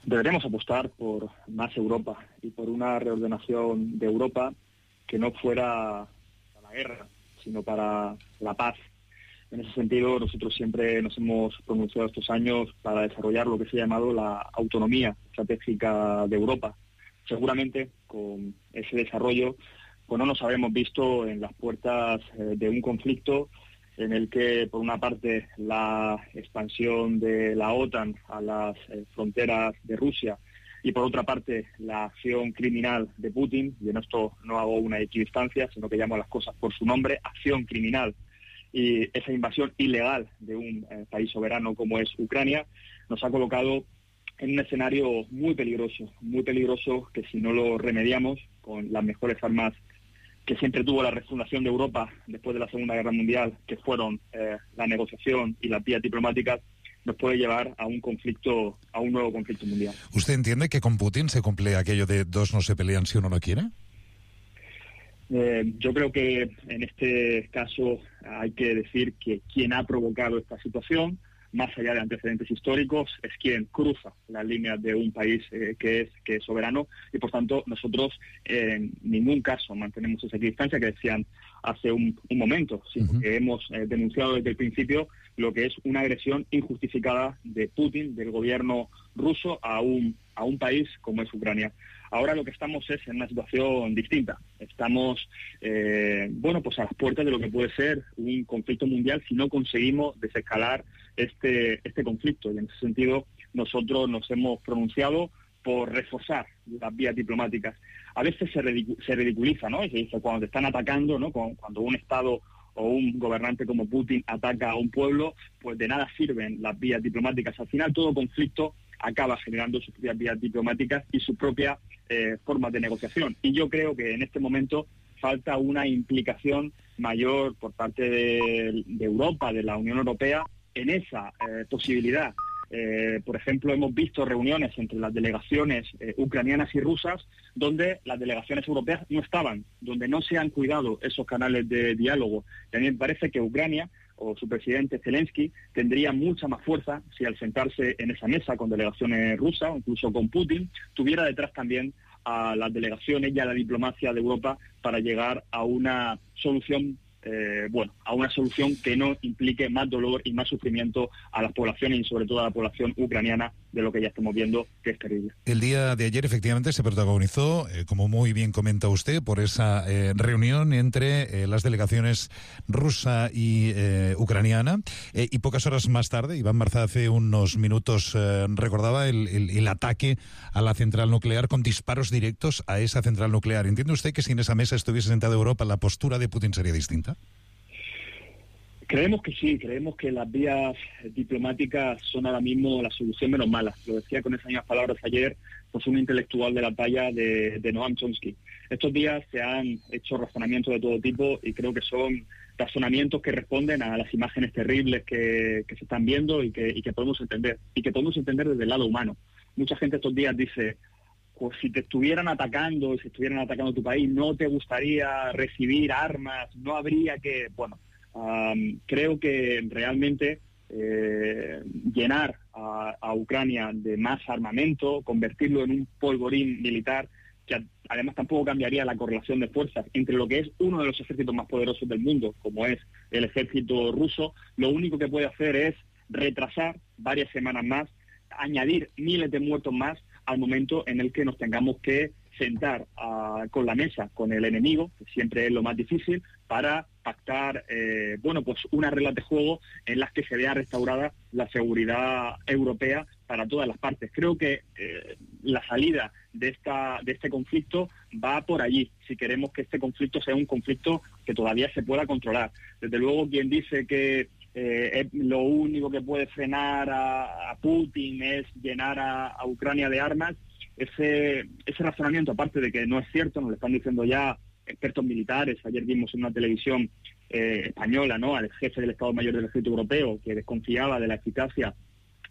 [SPEAKER 15] Deberíamos apostar por más Europa y por una reordenación de Europa que no fuera para la guerra, sino para la paz. En ese sentido, nosotros siempre nos hemos pronunciado estos años para desarrollar lo que se ha llamado la autonomía estratégica de Europa. Seguramente, con ese desarrollo, pues no nos habremos visto en las puertas eh, de un conflicto en el que, por una parte, la expansión de la OTAN a las eh, fronteras de Rusia y, por otra parte, la acción criminal de Putin, y en esto no hago una equidistancia, sino que llamo a las cosas por su nombre, acción criminal, y esa invasión ilegal de un eh, país soberano como es Ucrania, nos ha colocado en un escenario muy peligroso, muy peligroso, que si no lo remediamos con las mejores armas que siempre tuvo la refundación de Europa después de la Segunda Guerra Mundial, que fueron eh, la negociación y las vías diplomáticas, nos puede llevar a un conflicto, a un nuevo conflicto mundial.
[SPEAKER 7] ¿Usted entiende que con Putin se cumple aquello de dos no se pelean si uno no quiere?
[SPEAKER 15] Eh, yo creo que en este caso hay que decir que quien ha provocado esta situación, más allá de antecedentes históricos, es quien cruza las líneas de un país eh, que es que es soberano, y por tanto nosotros eh, en ningún caso mantenemos esa distancia que decían hace un, un momento, sino uh-huh. que hemos eh, denunciado desde el principio lo que es una agresión injustificada de Putin, del gobierno ruso a un, a un país como es Ucrania. Ahora lo que estamos es en una situación distinta. Estamos, eh, bueno, pues a las puertas de lo que puede ser un conflicto mundial si no conseguimos desescalar este, este conflicto. Y en ese sentido nosotros nos hemos pronunciado por reforzar las vías diplomáticas. A veces se, ridicu- se ridiculiza, ¿no? Y se dice, cuando te están atacando, ¿no? Cuando un Estado o un gobernante como Putin ataca a un pueblo, pues de nada sirven las vías diplomáticas. Al final todo conflicto acaba generando sus propias vías diplomáticas y sus propias eh, formas de negociación. Y yo creo que en este momento falta una implicación mayor por parte de, de Europa, de la Unión Europea, en esa eh, posibilidad. Eh, por ejemplo, hemos visto reuniones entre las delegaciones eh, ucranianas y rusas donde las delegaciones europeas no estaban, donde no se han cuidado esos canales de diálogo. Y a mí me parece que Ucrania o su presidente Zelensky tendría mucha más fuerza si al sentarse en esa mesa con delegaciones rusas, o incluso con Putin, tuviera detrás también a las delegaciones y a la diplomacia de Europa para llegar a una solución Eh, bueno, a una solución que no implique más dolor y más sufrimiento a las poblaciones y sobre todo a la población ucraniana de lo que ya estamos viendo, que es terrible.
[SPEAKER 7] El día de ayer efectivamente se protagonizó, eh, como muy bien comenta usted, por esa eh, reunión entre eh, las delegaciones rusa y eh, ucraniana, eh, y pocas horas más tarde, Iván Marzá hace unos minutos eh, recordaba el, el, el ataque a la central nuclear con disparos directos a esa central nuclear. ¿Entiende usted que si en esa mesa estuviese sentada Europa, la postura de Putin sería distinta?
[SPEAKER 15] Creemos que sí, creemos que las vías diplomáticas son ahora mismo la solución menos mala. Lo decía con esas mismas palabras ayer pues un intelectual de la talla de, de Noam Chomsky. Estos días se han hecho razonamientos de todo tipo y creo que son razonamientos que responden a las imágenes terribles que, que se están viendo y que, y que podemos entender, y que podemos entender desde el lado humano. Mucha gente estos días dice, pues si te estuvieran atacando, si estuvieran atacando tu país, ¿no te gustaría recibir armas? ¿No habría que...? Bueno, um, creo que realmente eh, llenar a, a Ucrania de más armamento, convertirlo en un polvorín militar, que además tampoco cambiaría la correlación de fuerzas entre lo que es uno de los ejércitos más poderosos del mundo, como es el ejército ruso, lo único que puede hacer es retrasar varias semanas más, añadir miles de muertos más al momento en el que nos tengamos que sentar uh, con la mesa con el enemigo, que siempre es lo más difícil, para pactar eh, bueno, pues unas reglas de juego en las que se vea restaurada la seguridad europea para todas las partes. Creo que eh, la salida de esta de este conflicto va por allí, si queremos que este conflicto sea un conflicto que todavía se pueda controlar. Desde luego, quien dice que Eh, lo único que puede frenar a, a Putin es llenar a, a Ucrania de armas, ese, ese razonamiento, aparte de que no es cierto, nos lo están diciendo ya expertos militares. Ayer vimos en una televisión eh, española, ¿no?, al jefe del Estado Mayor del Ejército Europeo, que desconfiaba de la eficacia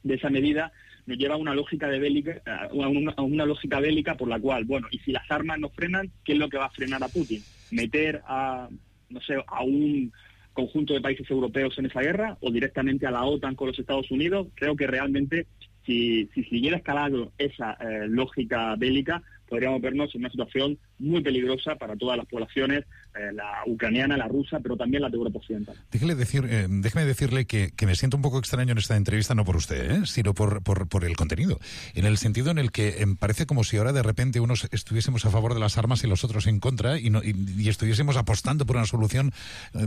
[SPEAKER 15] de esa medida, nos lleva a una lógica de bélica, a una, a una lógica bélica por la cual, bueno, y si las armas no frenan, ¿qué es lo que va a frenar a Putin? ¿Meter a, no sé, a un conjunto de países europeos en esa guerra o directamente a la OTAN con los Estados Unidos? Creo que realmente si, si siguiera escalando esa eh, lógica bélica, podríamos vernos en una situación muy peligrosa para todas las poblaciones, eh, la ucraniana, la rusa, pero también la de Europa Occidental.
[SPEAKER 7] Déjele decir, eh, déjeme decirle que, que me siento un poco extraño en esta entrevista, no por usted, ¿eh? sino por, por, por el contenido, en el sentido en el que eh, parece como si ahora de repente unos estuviésemos a favor de las armas y los otros en contra y, no, y, y estuviésemos apostando por una solución eh,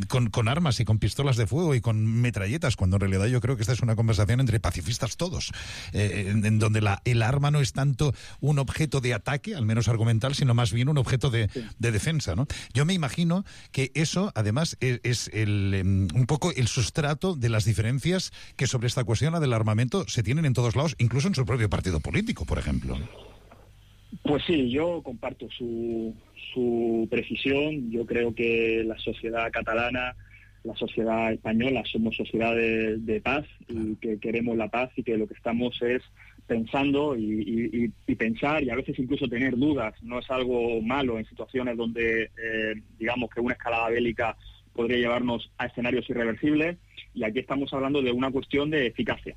[SPEAKER 7] con, con armas y con pistolas de fuego y con metralletas, cuando en realidad yo creo que esta es una conversación entre pacifistas todos, eh, en, en donde la, el arma no es tanto un objeto de ataque, al menos argumental, sino más bien un objeto de, sí. de defensa, ¿no? Yo me imagino que eso, además, es, es el, um, un poco el sustrato de las diferencias que sobre esta cuestión, la del armamento, se tienen en todos lados, incluso en su propio partido político, por ejemplo.
[SPEAKER 15] Pues sí, yo comparto su, su precisión. Yo creo que la sociedad catalana, la sociedad española, somos sociedades de paz y que queremos la paz y que lo que estamos es pensando y, y, y pensar y a veces incluso tener dudas. No es algo malo en situaciones donde eh, digamos que una escalada bélica podría llevarnos a escenarios irreversibles, y aquí estamos hablando de una cuestión de eficacia.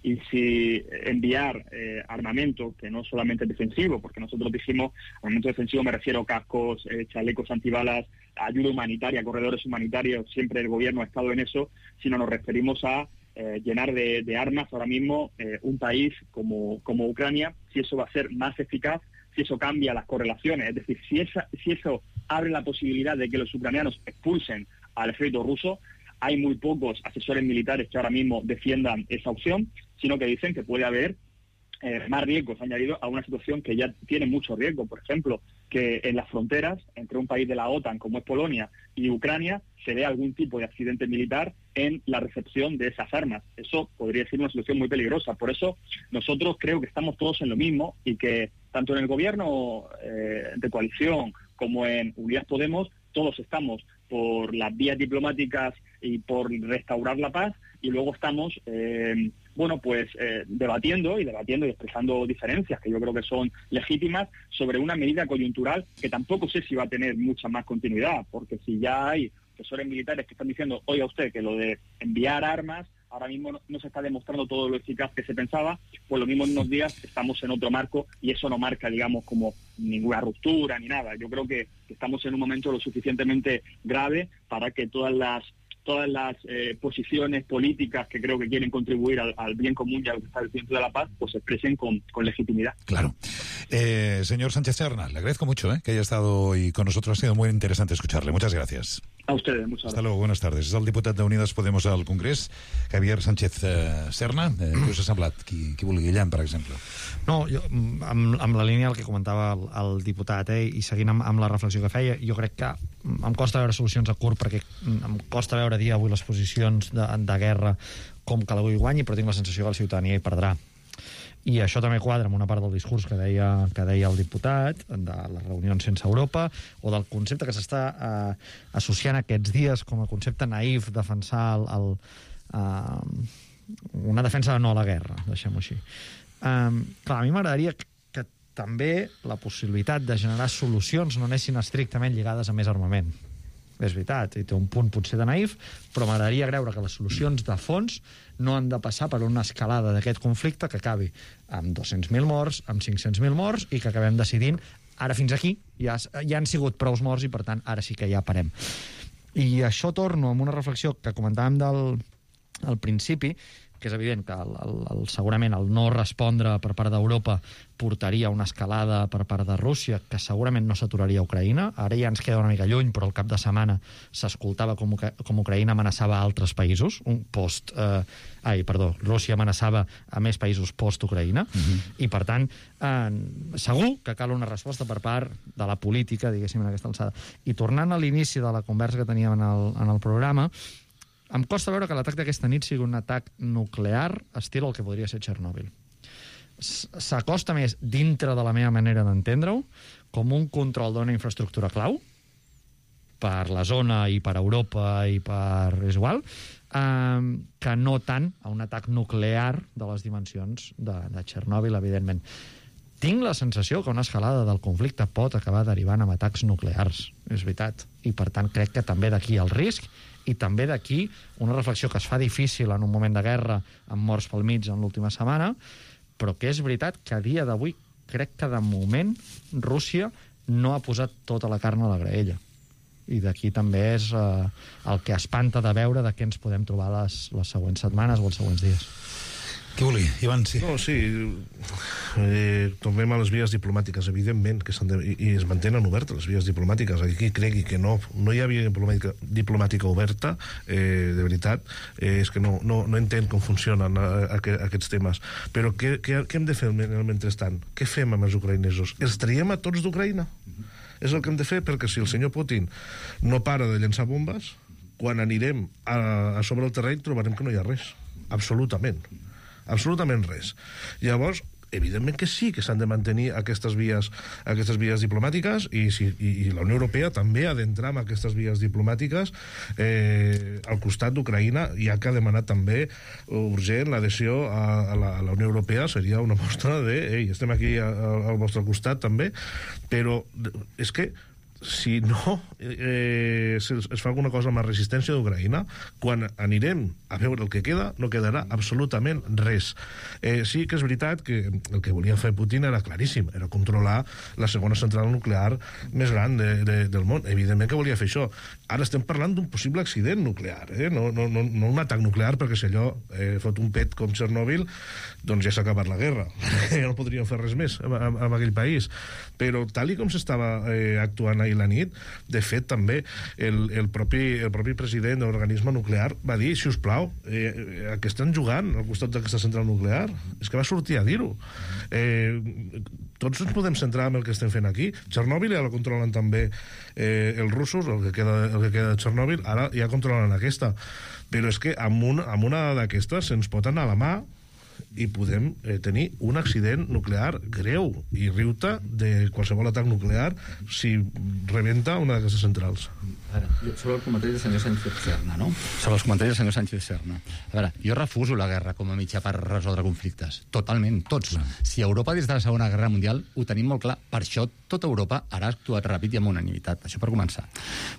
[SPEAKER 15] Y si enviar eh, armamento, que no solamente es defensivo, porque nosotros dijimos, armamento defensivo me refiero a cascos, eh, chalecos antibalas, ayuda humanitaria, corredores humanitarios, siempre el gobierno ha estado en eso, sino nos referimos a eh, llenar de, de armas ahora mismo eh, un país como, como Ucrania, si eso va a ser más eficaz, si eso cambia las correlaciones, es decir, si, esa, si eso abre la posibilidad de que los ucranianos expulsen al ejército ruso. Hay muy pocos asesores militares que ahora mismo defiendan esa opción, sino que dicen que puede haber eh, más riesgos añadidos a una situación que ya tiene mucho riesgo. Por ejemplo, que en las fronteras entre un país de la OTAN como es Polonia y Ucrania se dé algún tipo de accidente militar en la recepción de esas armas. Eso podría ser una situación muy peligrosa. Por eso nosotros creo que estamos todos en lo mismo y que tanto en el gobierno eh, de coalición como en Unidas Podemos todos estamos por las vías diplomáticas y por restaurar la paz, y luego estamos, eh, bueno, pues eh, debatiendo y debatiendo y expresando diferencias que yo creo que son legítimas sobre una medida coyuntural que tampoco sé si va a tener mucha más continuidad, porque si ya hay asesores militares que están diciendo, oiga usted, que lo de enviar armas ahora mismo no, no se está demostrando todo lo eficaz que se pensaba, pues lo mismo en unos días estamos en otro marco y eso no marca, digamos, como ninguna ruptura ni nada. Yo creo que, que estamos en un momento lo suficientemente grave para que todas las todas las eh, posiciones políticas que creo que quieren contribuir al, al bien común y al establecimiento de la paz, pues se expresen con, con legitimidad.
[SPEAKER 7] Claro. Eh, señor Sánchez Serna, le agradezco mucho eh, que haya estado hoy con nosotros. Ha sido muy interesante escucharle. Muchas gracias.
[SPEAKER 15] A ustedes, muchas
[SPEAKER 7] Hasta
[SPEAKER 15] gracias.
[SPEAKER 7] luego, buenas tardes. És el diputat d'Unides Podemos al Congrés, Javier Sánchez eh, Serna. Eh, què us ha semblat? Qui, qui vulgui, Guillem, per exemple?
[SPEAKER 14] No, jo, amb, amb la línia del que comentava el, el diputat, eh, i seguint amb, amb la reflexió que feia, jo crec que em costa veure solucions a curt, perquè em costa veure dir avui les posicions de, de guerra com que l'avui guanyi, però tinc la sensació que la ciutadania hi perdrà. I això també quadra amb una part del discurs que deia, que deia el diputat, de les reunions sense Europa, o del concepte que s'està eh, associant aquests dies com a concepte naïf, defensar el, el, eh, una defensa de no a la guerra, deixem-ho així. Eh, clar, a mi m'agradaria que, que també la possibilitat de generar solucions no anessin estrictament lligades a més armament. És veritat, i té un punt potser de naïf, però m'agradaria creure que les solucions de fons no han de passar per una escalada d'aquest conflicte que acabi amb dos-cents mil morts, amb cinc-cents mil morts, i que acabem decidint, ara fins aquí, ja, ja han sigut prous morts i, per tant, ara sí que ja parem. I això torno amb una reflexió que comentàvem del, al principi, que és evident que el, el, el, segurament el no respondre per part d'Europa portaria a una escalada per part de Rússia, que segurament no s'aturaria a Ucraïna. Ara ja ens queda una mica lluny, però al cap de setmana s'escoltava com, com Ucraïna amenaçava a altres països, un post... Eh, ai, perdó, Rússia amenaçava a més països post-Ucraïna, uh-huh. I per tant, eh, segur que cal una resposta per part de la política, diguéssim, en aquesta alçada. I tornant a l'inici de la conversa que teníem en el, en el programa, em costa veure que l'atac d'aquesta nit sigui un atac nuclear estil el que podria ser Txernòbil. S'acosta més dintre de la meva manera d'entendre-ho com un control d'una infraestructura clau per la zona i per Europa i per... és igual, eh, que no tant a un atac nuclear de les dimensions de, de Txernòbil, evidentment. Tinc la sensació que una escalada del conflicte pot acabar derivant en atacs nuclears, és veritat, i per tant crec que també d'aquí el risc, i també d'aquí una reflexió que es fa difícil en un moment de guerra amb morts pel mig en l'última setmana, però que és veritat que a dia d'avui crec que de moment Rússia no ha posat tota la carn a la graella. I d'aquí també és eh, el que espanta de veure de què ens podem trobar les, les següents setmanes o els següents dies.
[SPEAKER 7] Què volia, Ivan? Sí.
[SPEAKER 13] No, sí. Eh, tornem a les vies diplomàtiques, evidentment, que s'han de, i, i es mantenen obertes les vies diplomàtiques. Aquí cregui que no, no hi ha via diplomàtica, diplomàtica oberta, eh, de veritat, eh, és que no, no, no entenc com funcionen a, a, a aquests temes. Però què, què, què hem de fer en el mentrestant? Què fem amb els ucraïnesos? Els traiem a tots d'Ucraïna? És el que hem de fer, perquè si el senyor Putin no para de llançar bombes, quan anirem a, a sobre el terreny trobarem que no hi ha res. Absolutament. Absolutament res. Llavors, evidentment que sí que s'han de mantenir aquestes vies, aquestes vies diplomàtiques i, si, i, i la Unió Europea també ha d'entrar en aquestes vies diplomàtiques eh, al costat d'Ucraïna, ja que ha demanat també urgent l'adhesió a, a, la, a la Unió Europea. Seria una mostra de ei, estem aquí a, a, al vostre costat també, però és que si no eh, es, es fa alguna cosa amb la resistència d'Ucraïna, quan anirem a veure el que queda, no quedarà absolutament res. Eh, sí que és veritat que el que volia fer Putin era claríssim, era controlar la segona central nuclear més gran de, de, del món. Evidentment que volia fer això. Ara estem parlant d'un possible accident nuclear, eh? no, no, no, no un atac nuclear, perquè si allò eh, fot un pet com Chernobyl, doncs ja s'ha acabat la guerra. Ja no podríem fer res més en, en, en aquell país. Però tal i com s'estava eh, actuant ahir la nit, de fet també el, el, propi, el propi president de l'organisme nuclear va dir, si us plau, eh, a què estan jugant al costat d'aquesta central nuclear? És que va sortir a dir-ho. Eh, tots ens podem centrar en el que estem fent aquí. Chernobyl ja la controlen també eh, els russos, el que queda, el que queda de Chernobyl, ara ja controlen aquesta. Però és que amb, un, amb una d'aquestes se'ns pot anar a la mà i podem eh, tenir un accident nuclear greu i riu-te de qualsevol atac nuclear si rebenta una d'aquestes centrals.
[SPEAKER 12] A veure, sobre el comentari del senyor Sánchez Serna, no? Sobre els comentaris del senyor Sánchez Serna. A veure, jo refuso la guerra com a mitjà per resoldre conflictes. Totalment, tots. Clar. Si Europa des de la Segona Guerra Mundial ho tenim molt clar, per això tota Europa ara ha actuat ràpid i amb unanimitat. Això per començar.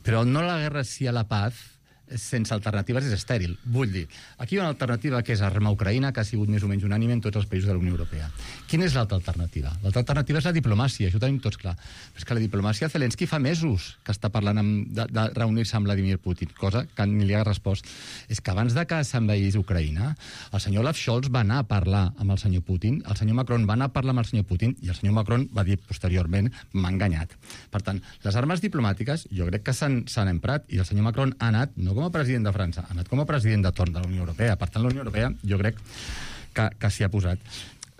[SPEAKER 12] Però no la guerra sí a la paz sense alternatives és estèril. Vull dir, aquí hi ha una alternativa que és armar Ucraïna, que ha sigut més o menys unànime en tots els països de la Unió Europea. Quina és l'altra alternativa? L'altra alternativa és la diplomàcia, això ho tenim tots clar. Però és que la diplomàcia, Zelensky fa mesos que està parlant amb, de, de reunir-se amb Vladimir Putin, cosa que ni li ha respost. És que abans de que s'envaís Ucraïna, el senyor Olaf Scholz va anar a parlar amb el senyor Putin, el senyor Macron va anar a parlar amb el senyor Putin i el senyor Macron va dir posteriorment, m'ha enganyat. Per tant, les armes diplomàtiques jo crec que s'han emprat i el senyor Macron ha anat, no com a president de França, ha anat com a president de torn de la Unió Europea. Per tant, la Unió Europea jo crec que, que s'hi ha posat.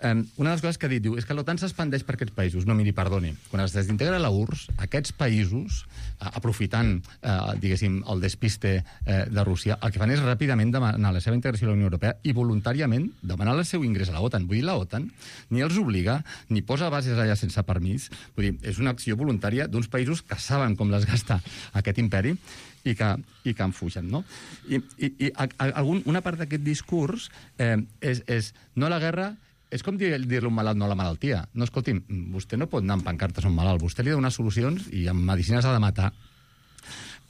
[SPEAKER 12] Um, una de les coses que ha dit, diu, és que l'OTAN s'expandeix per aquests països. No, miri, perdoni, quan es desintegra la U R S S, aquests països, uh, aprofitant, uh, diguéssim, el despiste uh, de Rússia, el que fan és ràpidament demanar la seva integració a la Unió Europea i voluntàriament demanar el seu ingrés a la OTAN. Vull dir, la OTAN ni els obliga, ni posa bases allà sense permís. Vull dir, és una acció voluntària d'uns països que saben com les gasta aquest imperi i que, i que en fugen, no? I, i, i a, a, algun, una part d'aquest discurs eh, és, és no la guerra. És com dir-li dir un malalt no a la malaltia. No, escolti'm, vostè no pot anar amb pancartes a un malalt. Vostè li ha de donar solucions i amb medicines ha de matar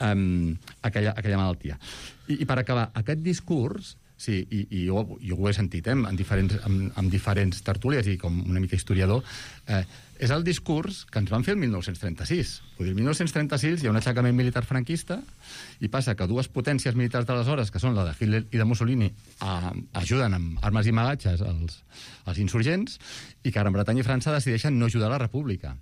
[SPEAKER 12] um, aquella, aquella malaltia. I, I per acabar, aquest discurs, sí, i, i jo, jo ho he sentit eh, en, diferents, en, en diferents tertúlies i com una mica historiador, eh, és el discurs que ens van fer el mil nou-cents trenta-sis. Vull dir, el mil nou-cents trenta-sis hi ha un aixecament militar franquista i passa que dues potències militars d'aleshores, que són la de Hitler i de Mussolini, a, ajuden amb armes i magatges als, als insurgents i que Gran Bretanya i França decideixen no ajudar la República.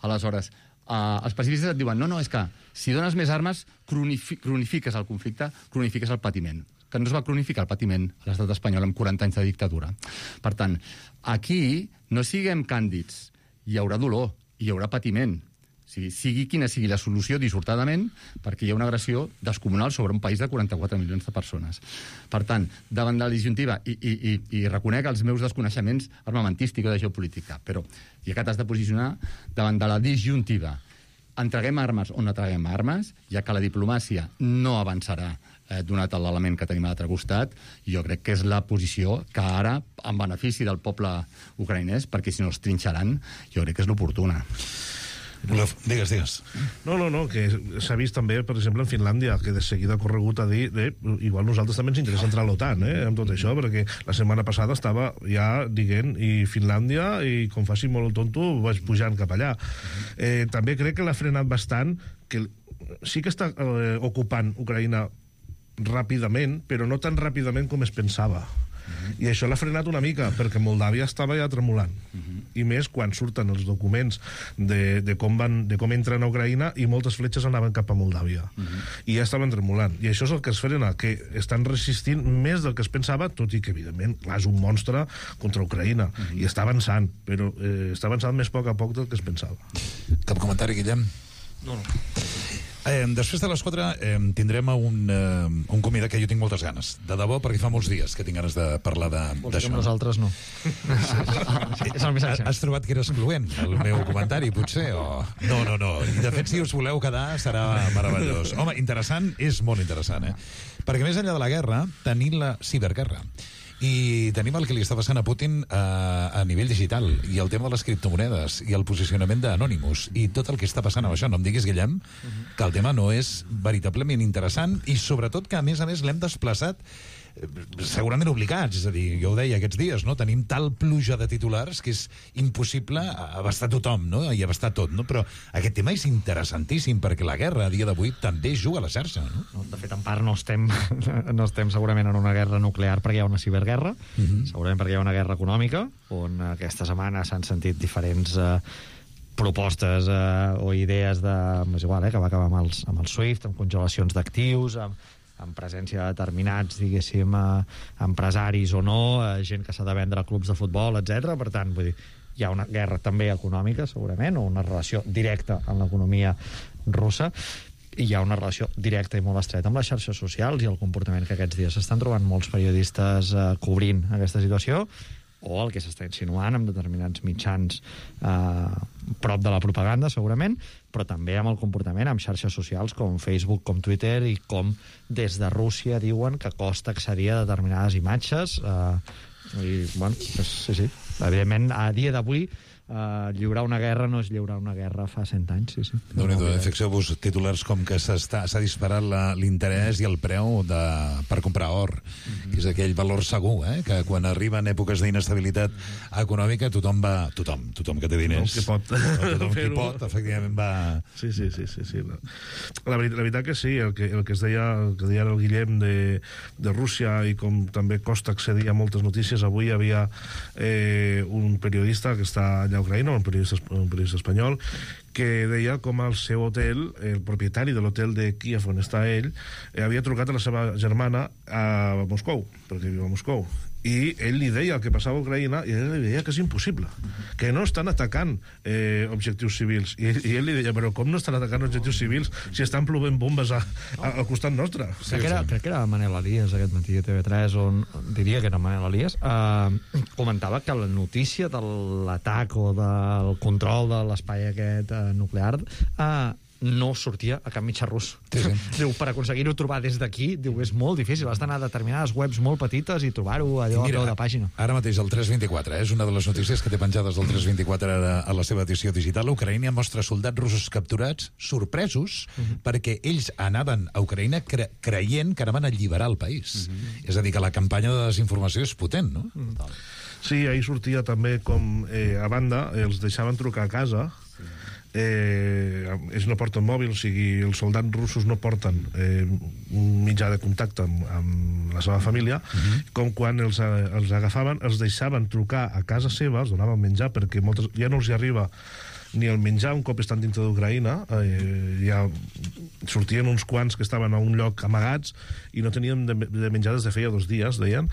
[SPEAKER 12] Aleshores, eh, els pacifistes et diuen no, no, és que si dones més armes cronifi cronifiques el conflicte, cronifiques el patiment, que no es va cronificar el patiment a l'estat espanyol amb quaranta anys de dictadura. Per tant, aquí no siguem càndids. Hi haurà dolor, hi haurà patiment. O sigui, sigui quina sigui la solució, dissortadament, perquè hi ha una agressió descomunal sobre un país de quaranta-quatre milions de persones. Per tant, davant de la disjuntiva, i, i, i, i reconec els meus desconeixements armamentístics de geopolítica, però ja que t'has de posicionar davant de la disjuntiva, entreguem armes o no entreguem armes, ja que la diplomàcia no avançarà eh, donat l'element que tenim a l'altre costat, jo crec que és la posició que ara, en benefici del poble ucraïnès, perquè si no els trinxaran, jo crec que és l'oportuna.
[SPEAKER 7] Digues, digues.
[SPEAKER 13] No, no, no, que s'ha vist també, per exemple, en Finlàndia, que de seguida ha corregut a dir, eh, igual nosaltres també ens interessa entrar a l'OTAN, eh, amb tot això, perquè la setmana passada estava ja dient, i Finlàndia, i com faci molt el tonto, vaig pujant cap allà. Eh, també crec que l'ha frenat bastant, que sí que està eh, ocupant Ucraïna ràpidament, però no tan ràpidament com es pensava. Uh-huh. I això l'ha frenat una mica, perquè Moldàvia estava ja tremolant. Uh-huh. I més quan surten els documents de, de, com van, de com entren a Ucraïna i moltes fletxes anaven cap a Moldàvia. Uh-huh. I ja estaven tremolant. I això és el que es frena, que estan resistint més del que es pensava, tot i que, evidentment, clar, és un monstre contra Ucraïna. Uh-huh. I està avançant, però eh, està avançant més a poc a poc del que es pensava.
[SPEAKER 7] Cap comentari, Guillem?
[SPEAKER 13] No, no.
[SPEAKER 7] Eh, després de les quatre eh, tindrem un, eh, un convidat que jo tinc moltes ganes. De debò, perquè fa molts dies que tinc ganes de parlar d'això.
[SPEAKER 14] Nosaltres no.
[SPEAKER 7] És el missatge. Has trobat que era excloent, el meu comentari, potser? O... No, no, no. De fet, si us voleu quedar, serà meravellós. Home, interessant, és molt interessant, eh? Perquè més enllà de la guerra, tenim la ciberguerra. I tenim el que li està passant a Putin a, a nivell digital, i el tema de les criptomonedes, i el posicionament d'Anonymous, i tot el que està passant amb això. No em diguis, Guillem, que el tema no és veritablement interessant, i sobretot que, a més a més, l'hem desplaçat segurament obligats, és a dir, jo ho deia aquests dies, no? Tenim tal pluja de titulars que és impossible abastar tothom, no? I abastar tot, no? Però aquest tema és interessantíssim, perquè la guerra a dia d'avui també juga a la xarxa, no?
[SPEAKER 14] No, de fet, en part no estem, no estem segurament en una guerra nuclear perquè hi ha una ciberguerra, uh-huh. segurament perquè hi ha una guerra econòmica, on aquesta setmana s'han sentit diferents eh, propostes eh, o idees de... és igual, eh, que va acabar amb, els, amb el SWIFT, amb congelacions d'actius, amb amb presència de determinats, diguéssim, eh, empresaris o no, eh, gent que s'ha de vendre a clubs de futbol, etcètera. Per tant, vull dir, hi ha una guerra també econòmica, segurament, o una relació directa amb l'economia russa, i hi ha una relació directa i molt estreta amb les xarxes socials i el comportament que aquests dies s'estan trobant molts periodistes eh, cobrint aquesta situació, o el que s'està insinuant amb determinats mitjans eh, prop de la propaganda, segurament, però també amb el comportament amb xarxes socials com Facebook, com Twitter, i com des de Rússia diuen que costa accedir a determinades imatges. Eh, i, bueno, és, sí, sí. Evidentment, a dia d'avui, Uh, lliurar una guerra no és lliurar una guerra fa cent anys, sí, sí.
[SPEAKER 7] Déu-n'hi-do, fixeu-vos titulars com que s'ha disparat l'interès i el preu de, per comprar or, mm-hmm. que és aquell valor segur, eh? Que quan arriben èpoques d'inestabilitat mm-hmm. econòmica tothom va... Tothom, tothom que té diners.
[SPEAKER 13] Tothom que pot.
[SPEAKER 7] No, tothom que pot, efectivament va...
[SPEAKER 13] Sí, sí, sí, sí, sí. La, la, veritat, la veritat que sí, el que, el que es deia, el que deia el Guillem de, de Rússia, i com també costa accedir a moltes notícies. Avui hi havia eh, un periodista que està allà a Ucraïna, un periodista, un periodista espanyol, que deia com al seu hotel, el propietari de l'hotel de Kíev on està ell, eh, havia trucat a la seva germana a Moscou, perquè viu a Moscou, i ell li deia el que passava a Ucraïna, i ell li deia que és impossible, que no estan atacant eh, objectius civils, i ell, i ell li deia, però com no estan atacant objectius civils si estan plovent bombes a, a, al costat nostre?
[SPEAKER 14] Crec que, era, crec que era Manel Elias aquest matí a T V tres, on diria que era Manel Elias, eh, comentava que la notícia de l'atac o del control de l'espai aquest eh, nuclear eh, no sortia a cap mitjà rus. Sí, sí. Diu, per aconseguir-ho trobar des d'aquí, diu, és molt difícil, has d'anar a determinades webs molt petites i trobar-ho allò a peu de pàgina.
[SPEAKER 7] Ara mateix el tres vint-i-quatre, eh? És una de les notícies que té penjades del tres vint-i-quatre a, a la seva edició digital. Ucraïna mostra soldats russos capturats, sorpresos, uh-huh. perquè ells anaven a Ucraïna cre creient que anaven a alliberar el país. Uh-huh. És a dir, que la campanya de desinformació és potent, no? Uh-huh.
[SPEAKER 13] Sí, ahir sortia també com, eh, a banda, els deixaven trucar a casa. Eh, ells no porten mòbil, o sigui, els soldats russos no porten eh, un mitjà de contacte amb, amb la seva família, uh-huh. com quan els, els agafaven, els deixaven trucar a casa seva, els donaven menjar, perquè moltes, ja no els hi arriba ni el menjar un cop estan dintre d'Ucraïna, eh, ja sortien uns quants que estaven a un lloc amagats i no tenien de, de menjar des de feia dos dies, deien.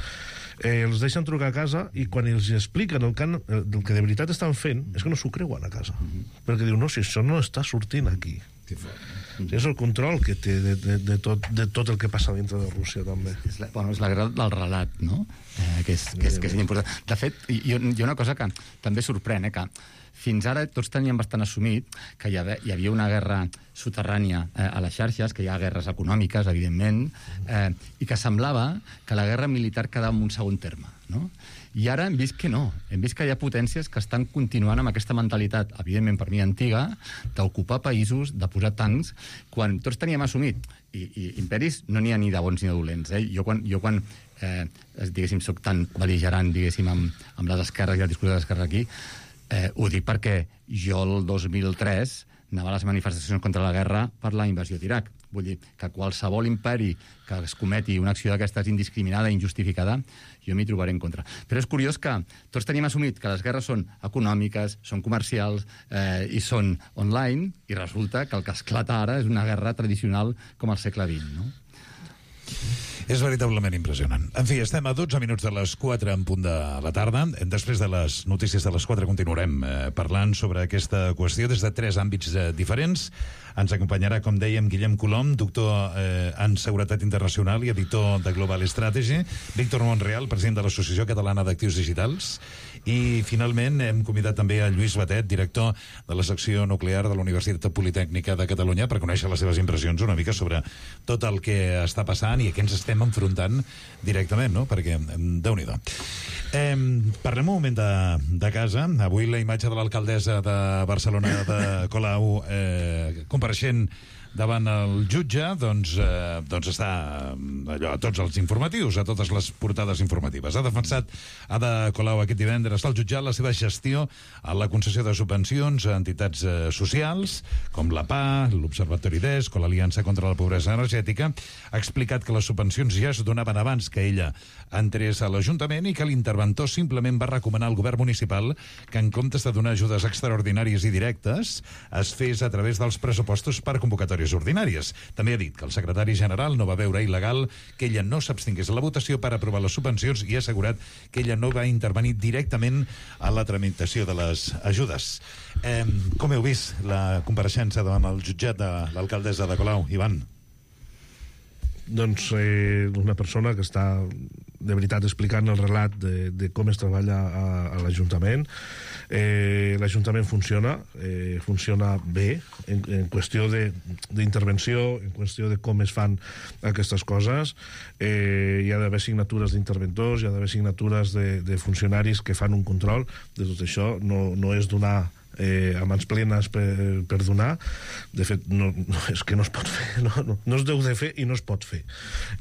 [SPEAKER 13] Eh, els deixen trucar a casa i quan els expliquen el que, han, el que de veritat estan fent és que no s'ho creuen a casa, mm-hmm. perquè diu, no, si això no està sortint aquí. Mm-hmm. És el control que té de, de, de, tot, de tot el que passa dintre de Rússia, també.
[SPEAKER 12] És la, bueno, és la guerra del relat, no? Eh, que, és, que, és, que és important. De fet, hi, hi ha una cosa que també sorprèn, eh, que fins ara tots teníem bastant assumit que hi havia, hi havia una guerra soterrània eh, a les xarxes, que hi ha guerres econòmiques, evidentment, eh, i que semblava que la guerra militar quedava en un segon terme, no? I ara hem vist que no. Hem vist que hi ha potències que estan continuant amb aquesta mentalitat, evidentment per mi antiga, d'ocupar països, de posar tancs, quan tots teníem assumit, i, i imperis no n'hi ha ni de bons ni de dolents. Eh? Jo quan, jo quan eh, diguéssim, soc tan bel·ligerant, diguéssim, amb, amb les esquerres i el discurs de l'esquerra aquí, Eh, ho dic perquè jo el dos mil tres anava a les manifestacions contra la guerra per la invasió d'Iraq. Vull dir que qualsevol imperi que es cometi una acció d'aquestes indiscriminada i injustificada, jo m'hi trobaré en contra. Però és curiós que tots tenim assumit que les guerres són econòmiques, són comercials eh, i són online, i resulta que el que esclata ara és una guerra tradicional com al segle vint, no?
[SPEAKER 7] És veritablement impressionant. En fi, estem a dotze minuts de les quatre en punt de la tarda. Després de les notícies de les quatre continuarem eh, parlant sobre aquesta qüestió des de tres àmbits eh, diferents. Ens acompanyarà, com dèiem, Guillem Colom, doctor eh, en Seguretat Internacional i editor de Global Strategy, Víctor Monreal, president de l'Associació Catalana d'Actius Digitals, i finalment hem convidat també a Lluís Batet, director de la secció nuclear de la Universitat Politècnica de Catalunya, per conèixer les seves impressions una mica sobre tot el que està passant i a què ens estem estem enfrontant directament, no? Perquè, Déu-n'hi-do. Eh, parlem un moment de, de casa. Avui la imatge de l'alcaldessa de Barcelona, de Colau, eh, compareixent davant el jutge, doncs, eh, doncs està allò, a tots els informatius, a totes les portades informatives. Ha defensat Ada Colau aquest divendres al jutjat la seva gestió a la concessió de subvencions a entitats eh, socials, com la P A, l'Observatori d'Esc o l'Aliança contra la Pobresa Energètica. Ha explicat que les subvencions ja es donaven abans que ella entrés a l'Ajuntament i que l'interventor simplement va recomanar al govern municipal que en comptes de donar ajudes extraordinàries i directes es fes a través dels pressupostos per convocatòries ordinàries. També ha dit que el secretari general no va veure il·legal que ella no s'abstingués a la votació per aprovar les subvencions i ha assegurat que ella no va intervenir directament a la tramitació de les ajudes. Eh, com heu vist la compareixença davant el jutjat de l'alcaldessa de Colau, Ivan?
[SPEAKER 13] Doncs eh, una persona que està de veritat explicant el relat de, de com es treballa a, a l'Ajuntament. Eh, L'Ajuntament funciona, eh, funciona bé en, en qüestió d'intervenció, en qüestió de com es fan aquestes coses. Eh, hi ha d'haver signatures d'interventors, hi ha d'haver signatures de, de funcionaris que fan un control de tot això. No, no és donar Eh, a mans plenes per, per donar. De fet, no, no, és que no es pot fer, no, no, no es deu de fer i no es pot fer,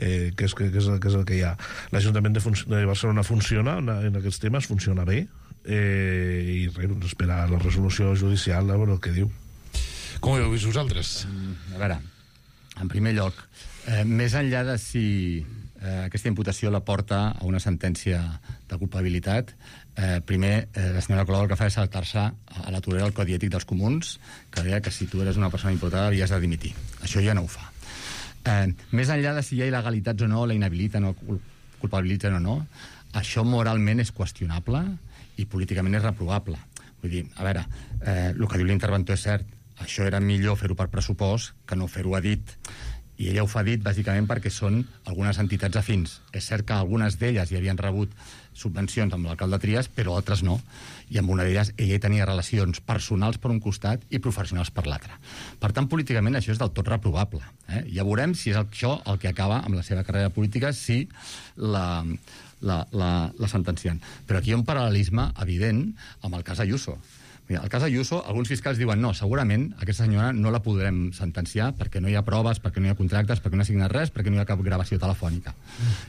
[SPEAKER 13] eh, que, és, que, que, és, que és el que hi ha. L'Ajuntament de, de Barcelona funciona en aquests temes, funciona bé, eh, i res, doncs esperar la resolució judicial a veure el que diu.
[SPEAKER 7] Com ho heu vist vosaltres?
[SPEAKER 12] A veure, en primer lloc, eh, més enllà de si eh, aquesta imputació la porta a una sentència de culpabilitat, Eh, primer, eh, la senyora Colau el que fa és saltar-se a la torera del Codi Ètic dels Comuns, que deia que si tu eres una persona imputada havies de dimitir. Això ja no ho fa. Eh, més enllà de si hi ha il·legalitats o no, la inhabiliten o culpabilitzen o no, això moralment és qüestionable i políticament és reprovable. Vull dir, a veure, eh, el que diu l'interventor és cert, això era millor fer-ho per pressupost que no fer-ho a dit. I ella ho fa dit bàsicament perquè són algunes entitats afins. És cert que algunes d'elles hi havien rebut subvencions amb l'alcalde Trias, però altres no. I amb una d'elles ella tenia relacions personals per un costat i professionals per l'altre. Per tant, políticament això és del tot reprovable. Eh? Ja veurem si és això el que acaba amb la seva carrera política, si la, la, la, la sentencien. Però aquí hi ha un paral·lelisme evident amb el cas Ayuso. Mira, el cas Ayuso, alguns fiscals diuen no, segurament aquesta senyora no la podrem sentenciar perquè no hi ha proves, perquè no hi ha contractes, perquè no ha signat res, perquè no hi ha cap gravació telefònica.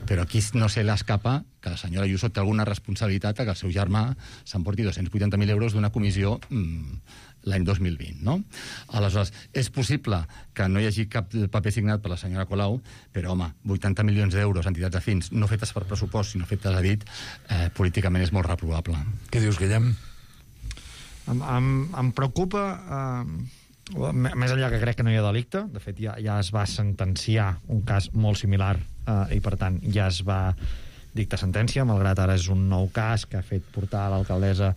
[SPEAKER 12] Però aquí no se l'escapa que la senyora Ayuso té alguna responsabilitat a que el seu germà s'emporti dos-cents vuitanta mil euros d'una comissió mmm, l'any dos mil vint, no? Aleshores, és possible que no hi hagi cap paper signat per la senyora Colau, però, home, vuitanta milions d'euros, entitats afins, no fetes per pressupost, sinó fetes a dit, eh, políticament és molt reprovable.
[SPEAKER 7] Què dius, Guillem?
[SPEAKER 14] Em, em, em preocupa, eh, més enllà que crec que no hi ha delicte, de fet ja, ja es va sentenciar un cas molt similar eh, i per tant ja es va dictar sentència, malgrat ara és un nou cas que ha fet portar l'alcaldessa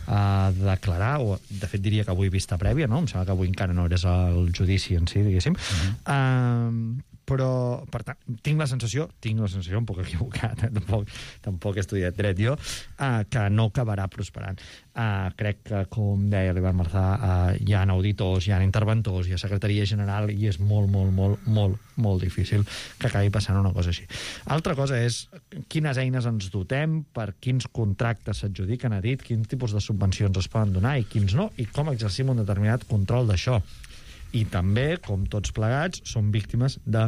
[SPEAKER 14] a declarar, o de fet diria que avui vista prèvia, no? Em sembla que avui encara no eres el judici en si, diguéssim. Uh-huh. Uh, però, per tant, tinc la sensació, tinc la sensació, un poc equivocat, eh? tampoc, tampoc he estudiat dret jo, uh, que no acabarà prosperant. Uh, crec que, com deia l'Ivan Marzà, uh, hi ha auditors, hi ha interventors, hi ha secretaria general, i és molt, molt, molt, molt, molt difícil que acabi passant una cosa així. Altra cosa és quines eines ens dotem, per quins contractes s'adjudiquen a dit, quins tipus de subvencions es poden donar i quins no, i com exercim un determinat control d'això. I també, com tots plegats, som víctimes de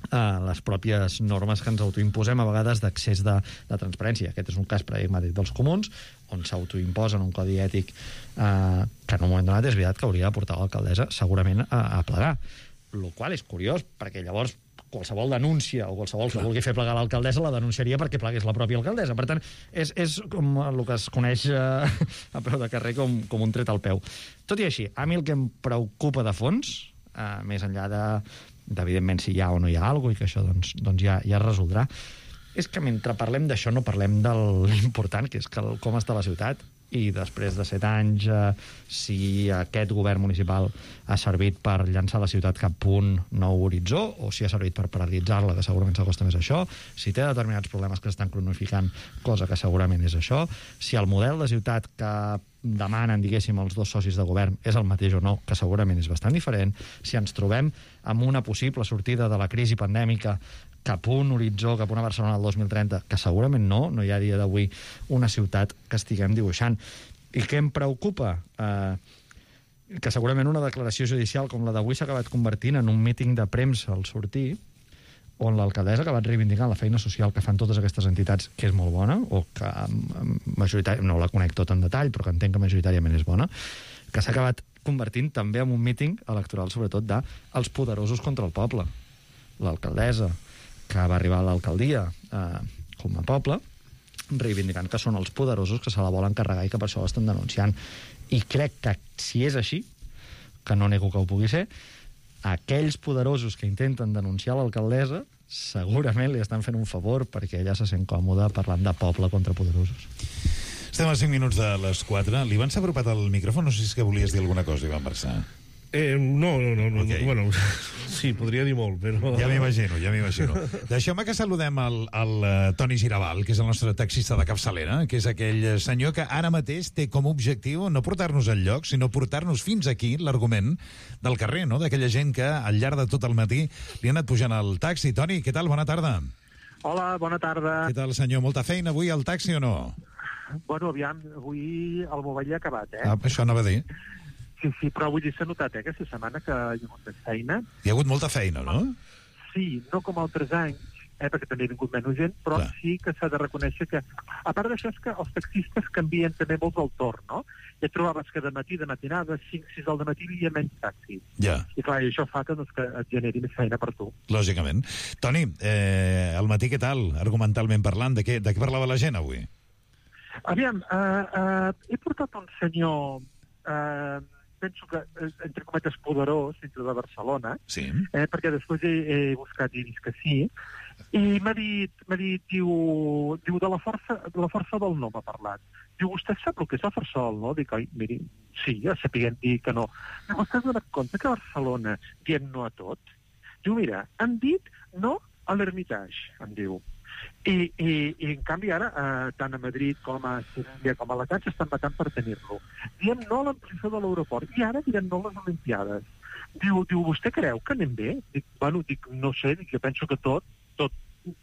[SPEAKER 14] Uh, les pròpies normes que ens autoimposem a vegades d'accés de, de transparència. Aquest és un cas paradigmàtic dels comuns, on s'autoimposen un codi ètic uh, que en un moment donat és veritat que hauria de portar l'alcaldessa segurament a, a plegar. Lo qual és curiós, perquè llavors qualsevol denúncia o qualsevol que vulgui fer plegar l'alcaldessa la denunciaria perquè plegués la pròpia alcaldessa. Per tant, és, és com el que es coneix uh, a peu de carrer com, com un tret al peu. Tot i així, a mi el que em preocupa de fons, uh, més enllà de d'evidentment si hi ha o no hi ha alguna cosa i que això doncs, doncs ja, ja es resoldrà, és que mentre parlem d'això no parlem de l'important, que és que el, com està la ciutat, i després de set anys eh, si aquest govern municipal ha servit per llançar la ciutat cap a un nou horitzó o si ha servit per paralitzar-la, que segurament s'acosta més a això, si té determinats problemes que s'estan cronificant, cosa que segurament és això, si el model de ciutat que demanen, diguéssim, els dos socis de govern és el mateix o no, que segurament és bastant diferent, si ens trobem amb una possible sortida de la crisi pandèmica cap a un horitzó, cap a una Barcelona del dos mil trenta, que segurament no, no hi ha a dia d'avui una ciutat que estiguem dibuixant. I què em preocupa? Eh, que segurament una declaració judicial com la d'avui s'ha acabat convertint en un míting de premsa al sortir, on l'alcaldessa ha acabat reivindicant la feina social que fan totes aquestes entitats, que és molt bona, o que majoritàriament, no la conec tot en detall, però que entenc que majoritàriament és bona, que s'ha acabat convertint també en un míting electoral, sobretot dels poderosos contra el poble. L'alcaldessa, que va arribar a l'alcaldia eh, com a poble, reivindicant que són els poderosos que se la volen carregar i que per això l'estan denunciant. I crec que si és així, que no nego que ho pugui ser, aquells poderosos que intenten denunciar l'alcaldessa segurament li estan fent un favor perquè ella se sent còmoda parlant de poble contra poderosos.
[SPEAKER 7] Estem a cinc minuts de les quatre. L'Ivan s'ha apropat al micròfon, no sé si és que volies dir alguna cosa, Ivan Barça.
[SPEAKER 13] Eh, no, no, no, okay. Bueno, sí, podria dir molt, però...
[SPEAKER 7] Ja m'imagino, ja m'imagino. Deixeu-me que saludem el, el uh, Toni Girabal, que és el nostre taxista de capçalera, que és aquell senyor que ara mateix té com a objectiu no portar-nos al lloc, sinó portar-nos fins aquí, l'argument del carrer, no?, d'aquella gent que al llarg de tot el matí li ha anat pujant al taxi. Toni, què tal? Bona tarda.
[SPEAKER 16] Hola, bona tarda.
[SPEAKER 7] Què tal, senyor? Molta feina avui al taxi o no?
[SPEAKER 16] Bueno, aviam, avui el mobile ha acabat, eh?
[SPEAKER 7] Ah, això anava a dir.
[SPEAKER 16] Sí, sí, però vull dir, s'ha notat, eh, aquesta setmana que hi ha hagut feina.
[SPEAKER 7] Hi ha hagut molta feina, no?
[SPEAKER 16] Sí, no com altres anys, eh, perquè també ha vingut menys gent, però Clar. sí que s'ha de reconèixer que, a part d'això, és que els taxistes canvien també molt el torn, no? Ja trobaves que de matí, de matinada, cinc sis del matí, hi ha menys taxis.
[SPEAKER 7] Ja.
[SPEAKER 16] I clar, i això fa que, doncs, que et generi més feina per tu.
[SPEAKER 7] Lògicament. Toni, eh, al matí què tal, argumentalment parlant? De què, de què parlava la gent avui?
[SPEAKER 16] Aviam, eh, eh, he portat un senyor... Eh, penso que, entre cometes, poderós dintre de Barcelona,
[SPEAKER 7] sí.
[SPEAKER 16] eh, perquè després he, he buscat i he vist que sí, i m'ha dit, m'ha dit diu, diu de, la força, de la força del no m'ha parlat. Diu, vostè sap el que és la força del no? Dic, oi, miri, sí, ja sapiguem dir que no. Diu, vostè s'ha donat compte que a Barcelona diem no a tot? Diu, mira, han dit no a l'Hermitage, em diu. I, i, i en canvi ara, eh, tant a Madrid com a Sevilla com a Alacant s'estan matant per tenir-lo. Diem no a l'ampliació de l'aeroport i ara direm no a les Olimpiades. Diu, diu, vostè creu que anem bé? Dic, bueno, dic, no sé, dic, jo penso que tot, tot,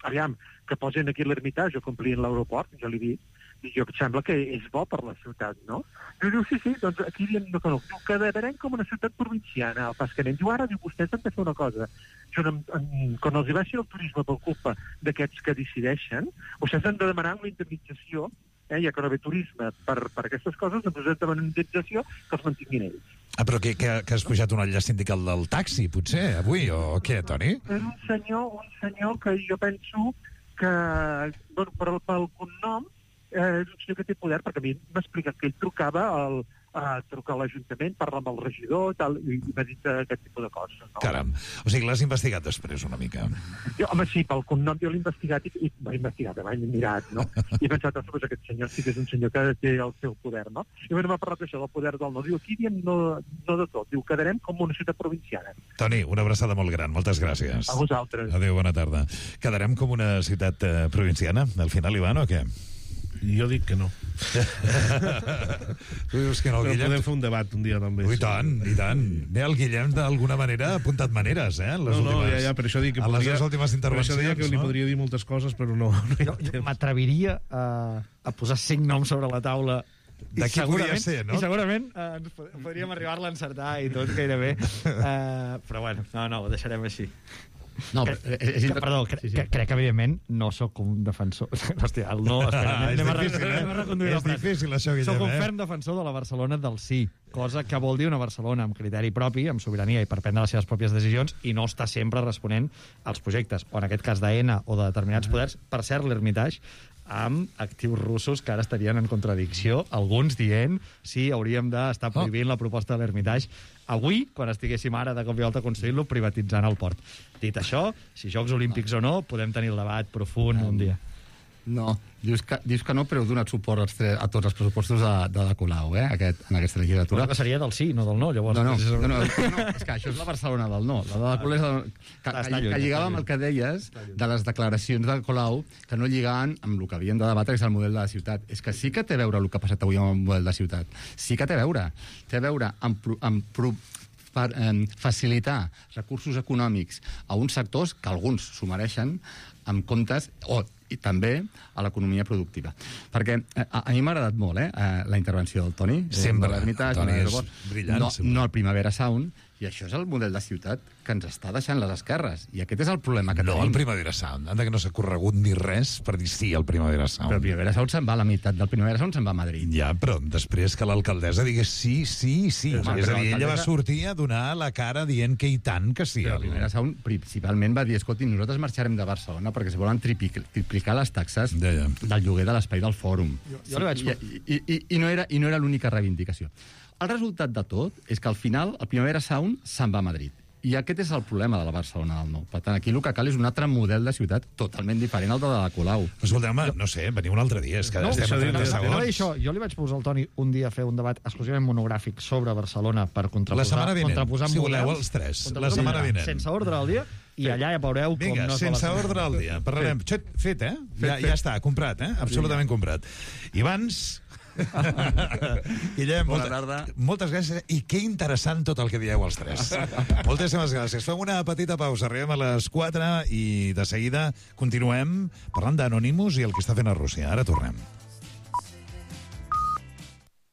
[SPEAKER 16] aviam, que posen aquí l'Hermitage o complien l'aeroport, jo li dic, i jo em sembla que és bo per la ciutat, no? Diu, diu sí, sí, doncs aquí diem no que no. Diu, quedarem com una ciutat provinciana, al pas que anem. Diu, ara, diu, vostès han de fer una cosa. Jo, en, en, quan els hi baixi el turisme per culpa d'aquests que decideixen, vostès han de demanar una indemnització, eh, ja que no ve turisme per, per aquestes coses, doncs han de demanar una indemnització que els mantinguin ells.
[SPEAKER 7] Ah, però que, que, que has pujat un enllaç sindical del taxi, potser, avui, o què, Toni?
[SPEAKER 16] És un senyor, un senyor que jo penso que, bueno, per, pel cognom, eh, és un senyor que té poder, perquè a mi m'ha explicat que ell trucava al, a trucar a l'Ajuntament, parlar amb el regidor i tal, i m'ha dit aquest tipus de coses. No?
[SPEAKER 7] Caram, o sigui, l'has investigat després una mica.
[SPEAKER 16] Jo, home, sí, pel cognom jo l'he investigat i, i m'he investigat, m'he mirat, no? I he pensat, ostres, aquest senyor sí que és un senyor que té el seu poder, no? I bueno, m'ha parlat d'això, del poder del no. Diu, aquí diem no, no de tot, diu, quedarem com una ciutat provinciana.
[SPEAKER 7] Toni, una abraçada molt gran, moltes gràcies.
[SPEAKER 16] A vosaltres.
[SPEAKER 7] Adéu, bona tarda. Quedarem com una ciutat eh, provinciana, al final, Ivan, o què?
[SPEAKER 13] Jo dic que no.
[SPEAKER 7] Tu dius que no, el Guillem...
[SPEAKER 13] Podem fer un debat un dia, també.
[SPEAKER 7] Ui, tant, i tant. Bé, el Guillem, d'alguna manera, ha apuntat maneres, eh? Les
[SPEAKER 13] no, no,
[SPEAKER 7] últimes,
[SPEAKER 13] ja, ja, per això dic que
[SPEAKER 7] a
[SPEAKER 13] podria...
[SPEAKER 7] les seves últimes intervencions,
[SPEAKER 13] per això deia que
[SPEAKER 7] no?
[SPEAKER 13] li podria dir moltes coses, però no. no
[SPEAKER 14] jo jo m'atreviria a, a posar cinc noms sobre la taula
[SPEAKER 7] de qui podria ser, no?
[SPEAKER 14] I segurament eh, podríem arribar-la a encertar i tot gairebé. Uh, però bueno, no, no, ho deixarem així.
[SPEAKER 12] No,
[SPEAKER 14] que,
[SPEAKER 12] és, és,
[SPEAKER 14] que, perdó, cre, sí, sí. Que, crec que evidentment no sóc un defensor. Hòstia, el no, espera,
[SPEAKER 7] ah,
[SPEAKER 14] anem,
[SPEAKER 7] és
[SPEAKER 14] a
[SPEAKER 7] difícil, eh?
[SPEAKER 14] anem a reconduir
[SPEAKER 7] és difícil, això, Guillem,
[SPEAKER 14] Soc un
[SPEAKER 7] eh?
[SPEAKER 14] ferm defensor de la Barcelona del sí, cosa que vol dir una Barcelona amb criteri propi, amb sobirania i per prendre les seves pròpies decisions i no està sempre responent als projectes, o en aquest cas d'Aena o de determinats poders. Per cert, l'Hermitage amb actius russos que ara estarien en contradicció, alguns dient si hauríem d'estar prohibint oh. la proposta de l'Hermitage avui, quan estiguéssim ara de cop i volta construint-lo, privatitzant el port. Dit això, si Jocs Olímpics o no, podem tenir el debat profund um, un dia.
[SPEAKER 12] No, dius que, dius que no, però heu donat suport als tre, a tots els pressupostos de, de la Colau, eh, aquest, en aquesta legislatura.
[SPEAKER 14] Però que seria del sí, no del no, llavors.
[SPEAKER 12] No, no, no, no, no, és que això és la Barcelona del no. La de la Colau és del, que, que, que lligava amb el que deies de les declaracions de Colau, que no lligaven amb el que havíem de debatre, que és el model de la ciutat. És que sí que té a veure el que ha passat avui amb el model de ciutat. Sí que té a veure. Té a veure amb... amb per eh, facilitar recursos econòmics a uns sectors que alguns s'ho mereixen amb comptes, o i també a l'economia productiva. Perquè eh, a, a mi m'ha agradat molt eh, la intervenció del Toni.
[SPEAKER 7] Sempre.
[SPEAKER 12] Eh, l'ermità,
[SPEAKER 7] Toni és brillant.
[SPEAKER 12] No, no el Primavera Sound, i això és el model de ciutat que ens està deixant les esquerres. I aquest és el problema que
[SPEAKER 7] no,
[SPEAKER 12] tenim.
[SPEAKER 7] No, el Primavera Sound. Anda que no s'ha corregut ni res per dir sí al Primavera Sound.
[SPEAKER 12] Però el Primavera Sound se'n va, la meitat del Primavera Sound se'n va a Madrid.
[SPEAKER 7] Ja, però després que l'alcaldessa digués sí, sí, sí.
[SPEAKER 12] Però,
[SPEAKER 7] és a dir, ella va
[SPEAKER 12] l'alcaldessa-
[SPEAKER 7] sortir a donar la cara dient que i tant que sí.
[SPEAKER 12] Però el Primavera Sound principalment va dir, escolti, nosaltres marxarem de Barcelona perquè es volen triplic- triplicar les taxes
[SPEAKER 7] ja, ja.
[SPEAKER 12] del lloguer de l'espai del fòrum.
[SPEAKER 14] Jo- jo li vaig-
[SPEAKER 12] I, i, i, i no era, i no era l'única reivindicació. El resultat de tot és que al final el Primavera Sound se'n va a Madrid. I aquest és el problema de la Barcelona del Nou. Per tant, aquí el que cal és un altre model de ciutat totalment diferent al de la Colau.
[SPEAKER 7] Escolteu-me, no sé, veniu un altre dia. És que
[SPEAKER 14] No,
[SPEAKER 7] estem a trenta
[SPEAKER 14] no, no,
[SPEAKER 7] segons.
[SPEAKER 14] això, jo li vaig posar al Toni un dia a fer un debat exclusivament monogràfic sobre Barcelona per contraposar...
[SPEAKER 7] La setmana vinent,
[SPEAKER 14] contraposar
[SPEAKER 7] si voleu,
[SPEAKER 14] models,
[SPEAKER 7] els tres.
[SPEAKER 14] contraposar
[SPEAKER 7] La setmana
[SPEAKER 14] models,
[SPEAKER 7] vinent.
[SPEAKER 14] Sense ordre al dia, i allà ja veureu com
[SPEAKER 7] Vinga,
[SPEAKER 14] no és
[SPEAKER 7] sense
[SPEAKER 14] la
[SPEAKER 7] ordre al dia. Parlarem. Fet, fet eh? Ja, ja està, comprat, eh? Absolutament comprat. I abans... Guillem,
[SPEAKER 12] Bona
[SPEAKER 7] molta,
[SPEAKER 12] tarda.
[SPEAKER 7] moltes gràcies i que interessant tot el que dieu els tres. Moltíssimes gràcies. Fem una petita pausa, arribem a les quatre i de seguida continuem parlant d'Anonymous i el que està fent a Rússia. Ara tornem.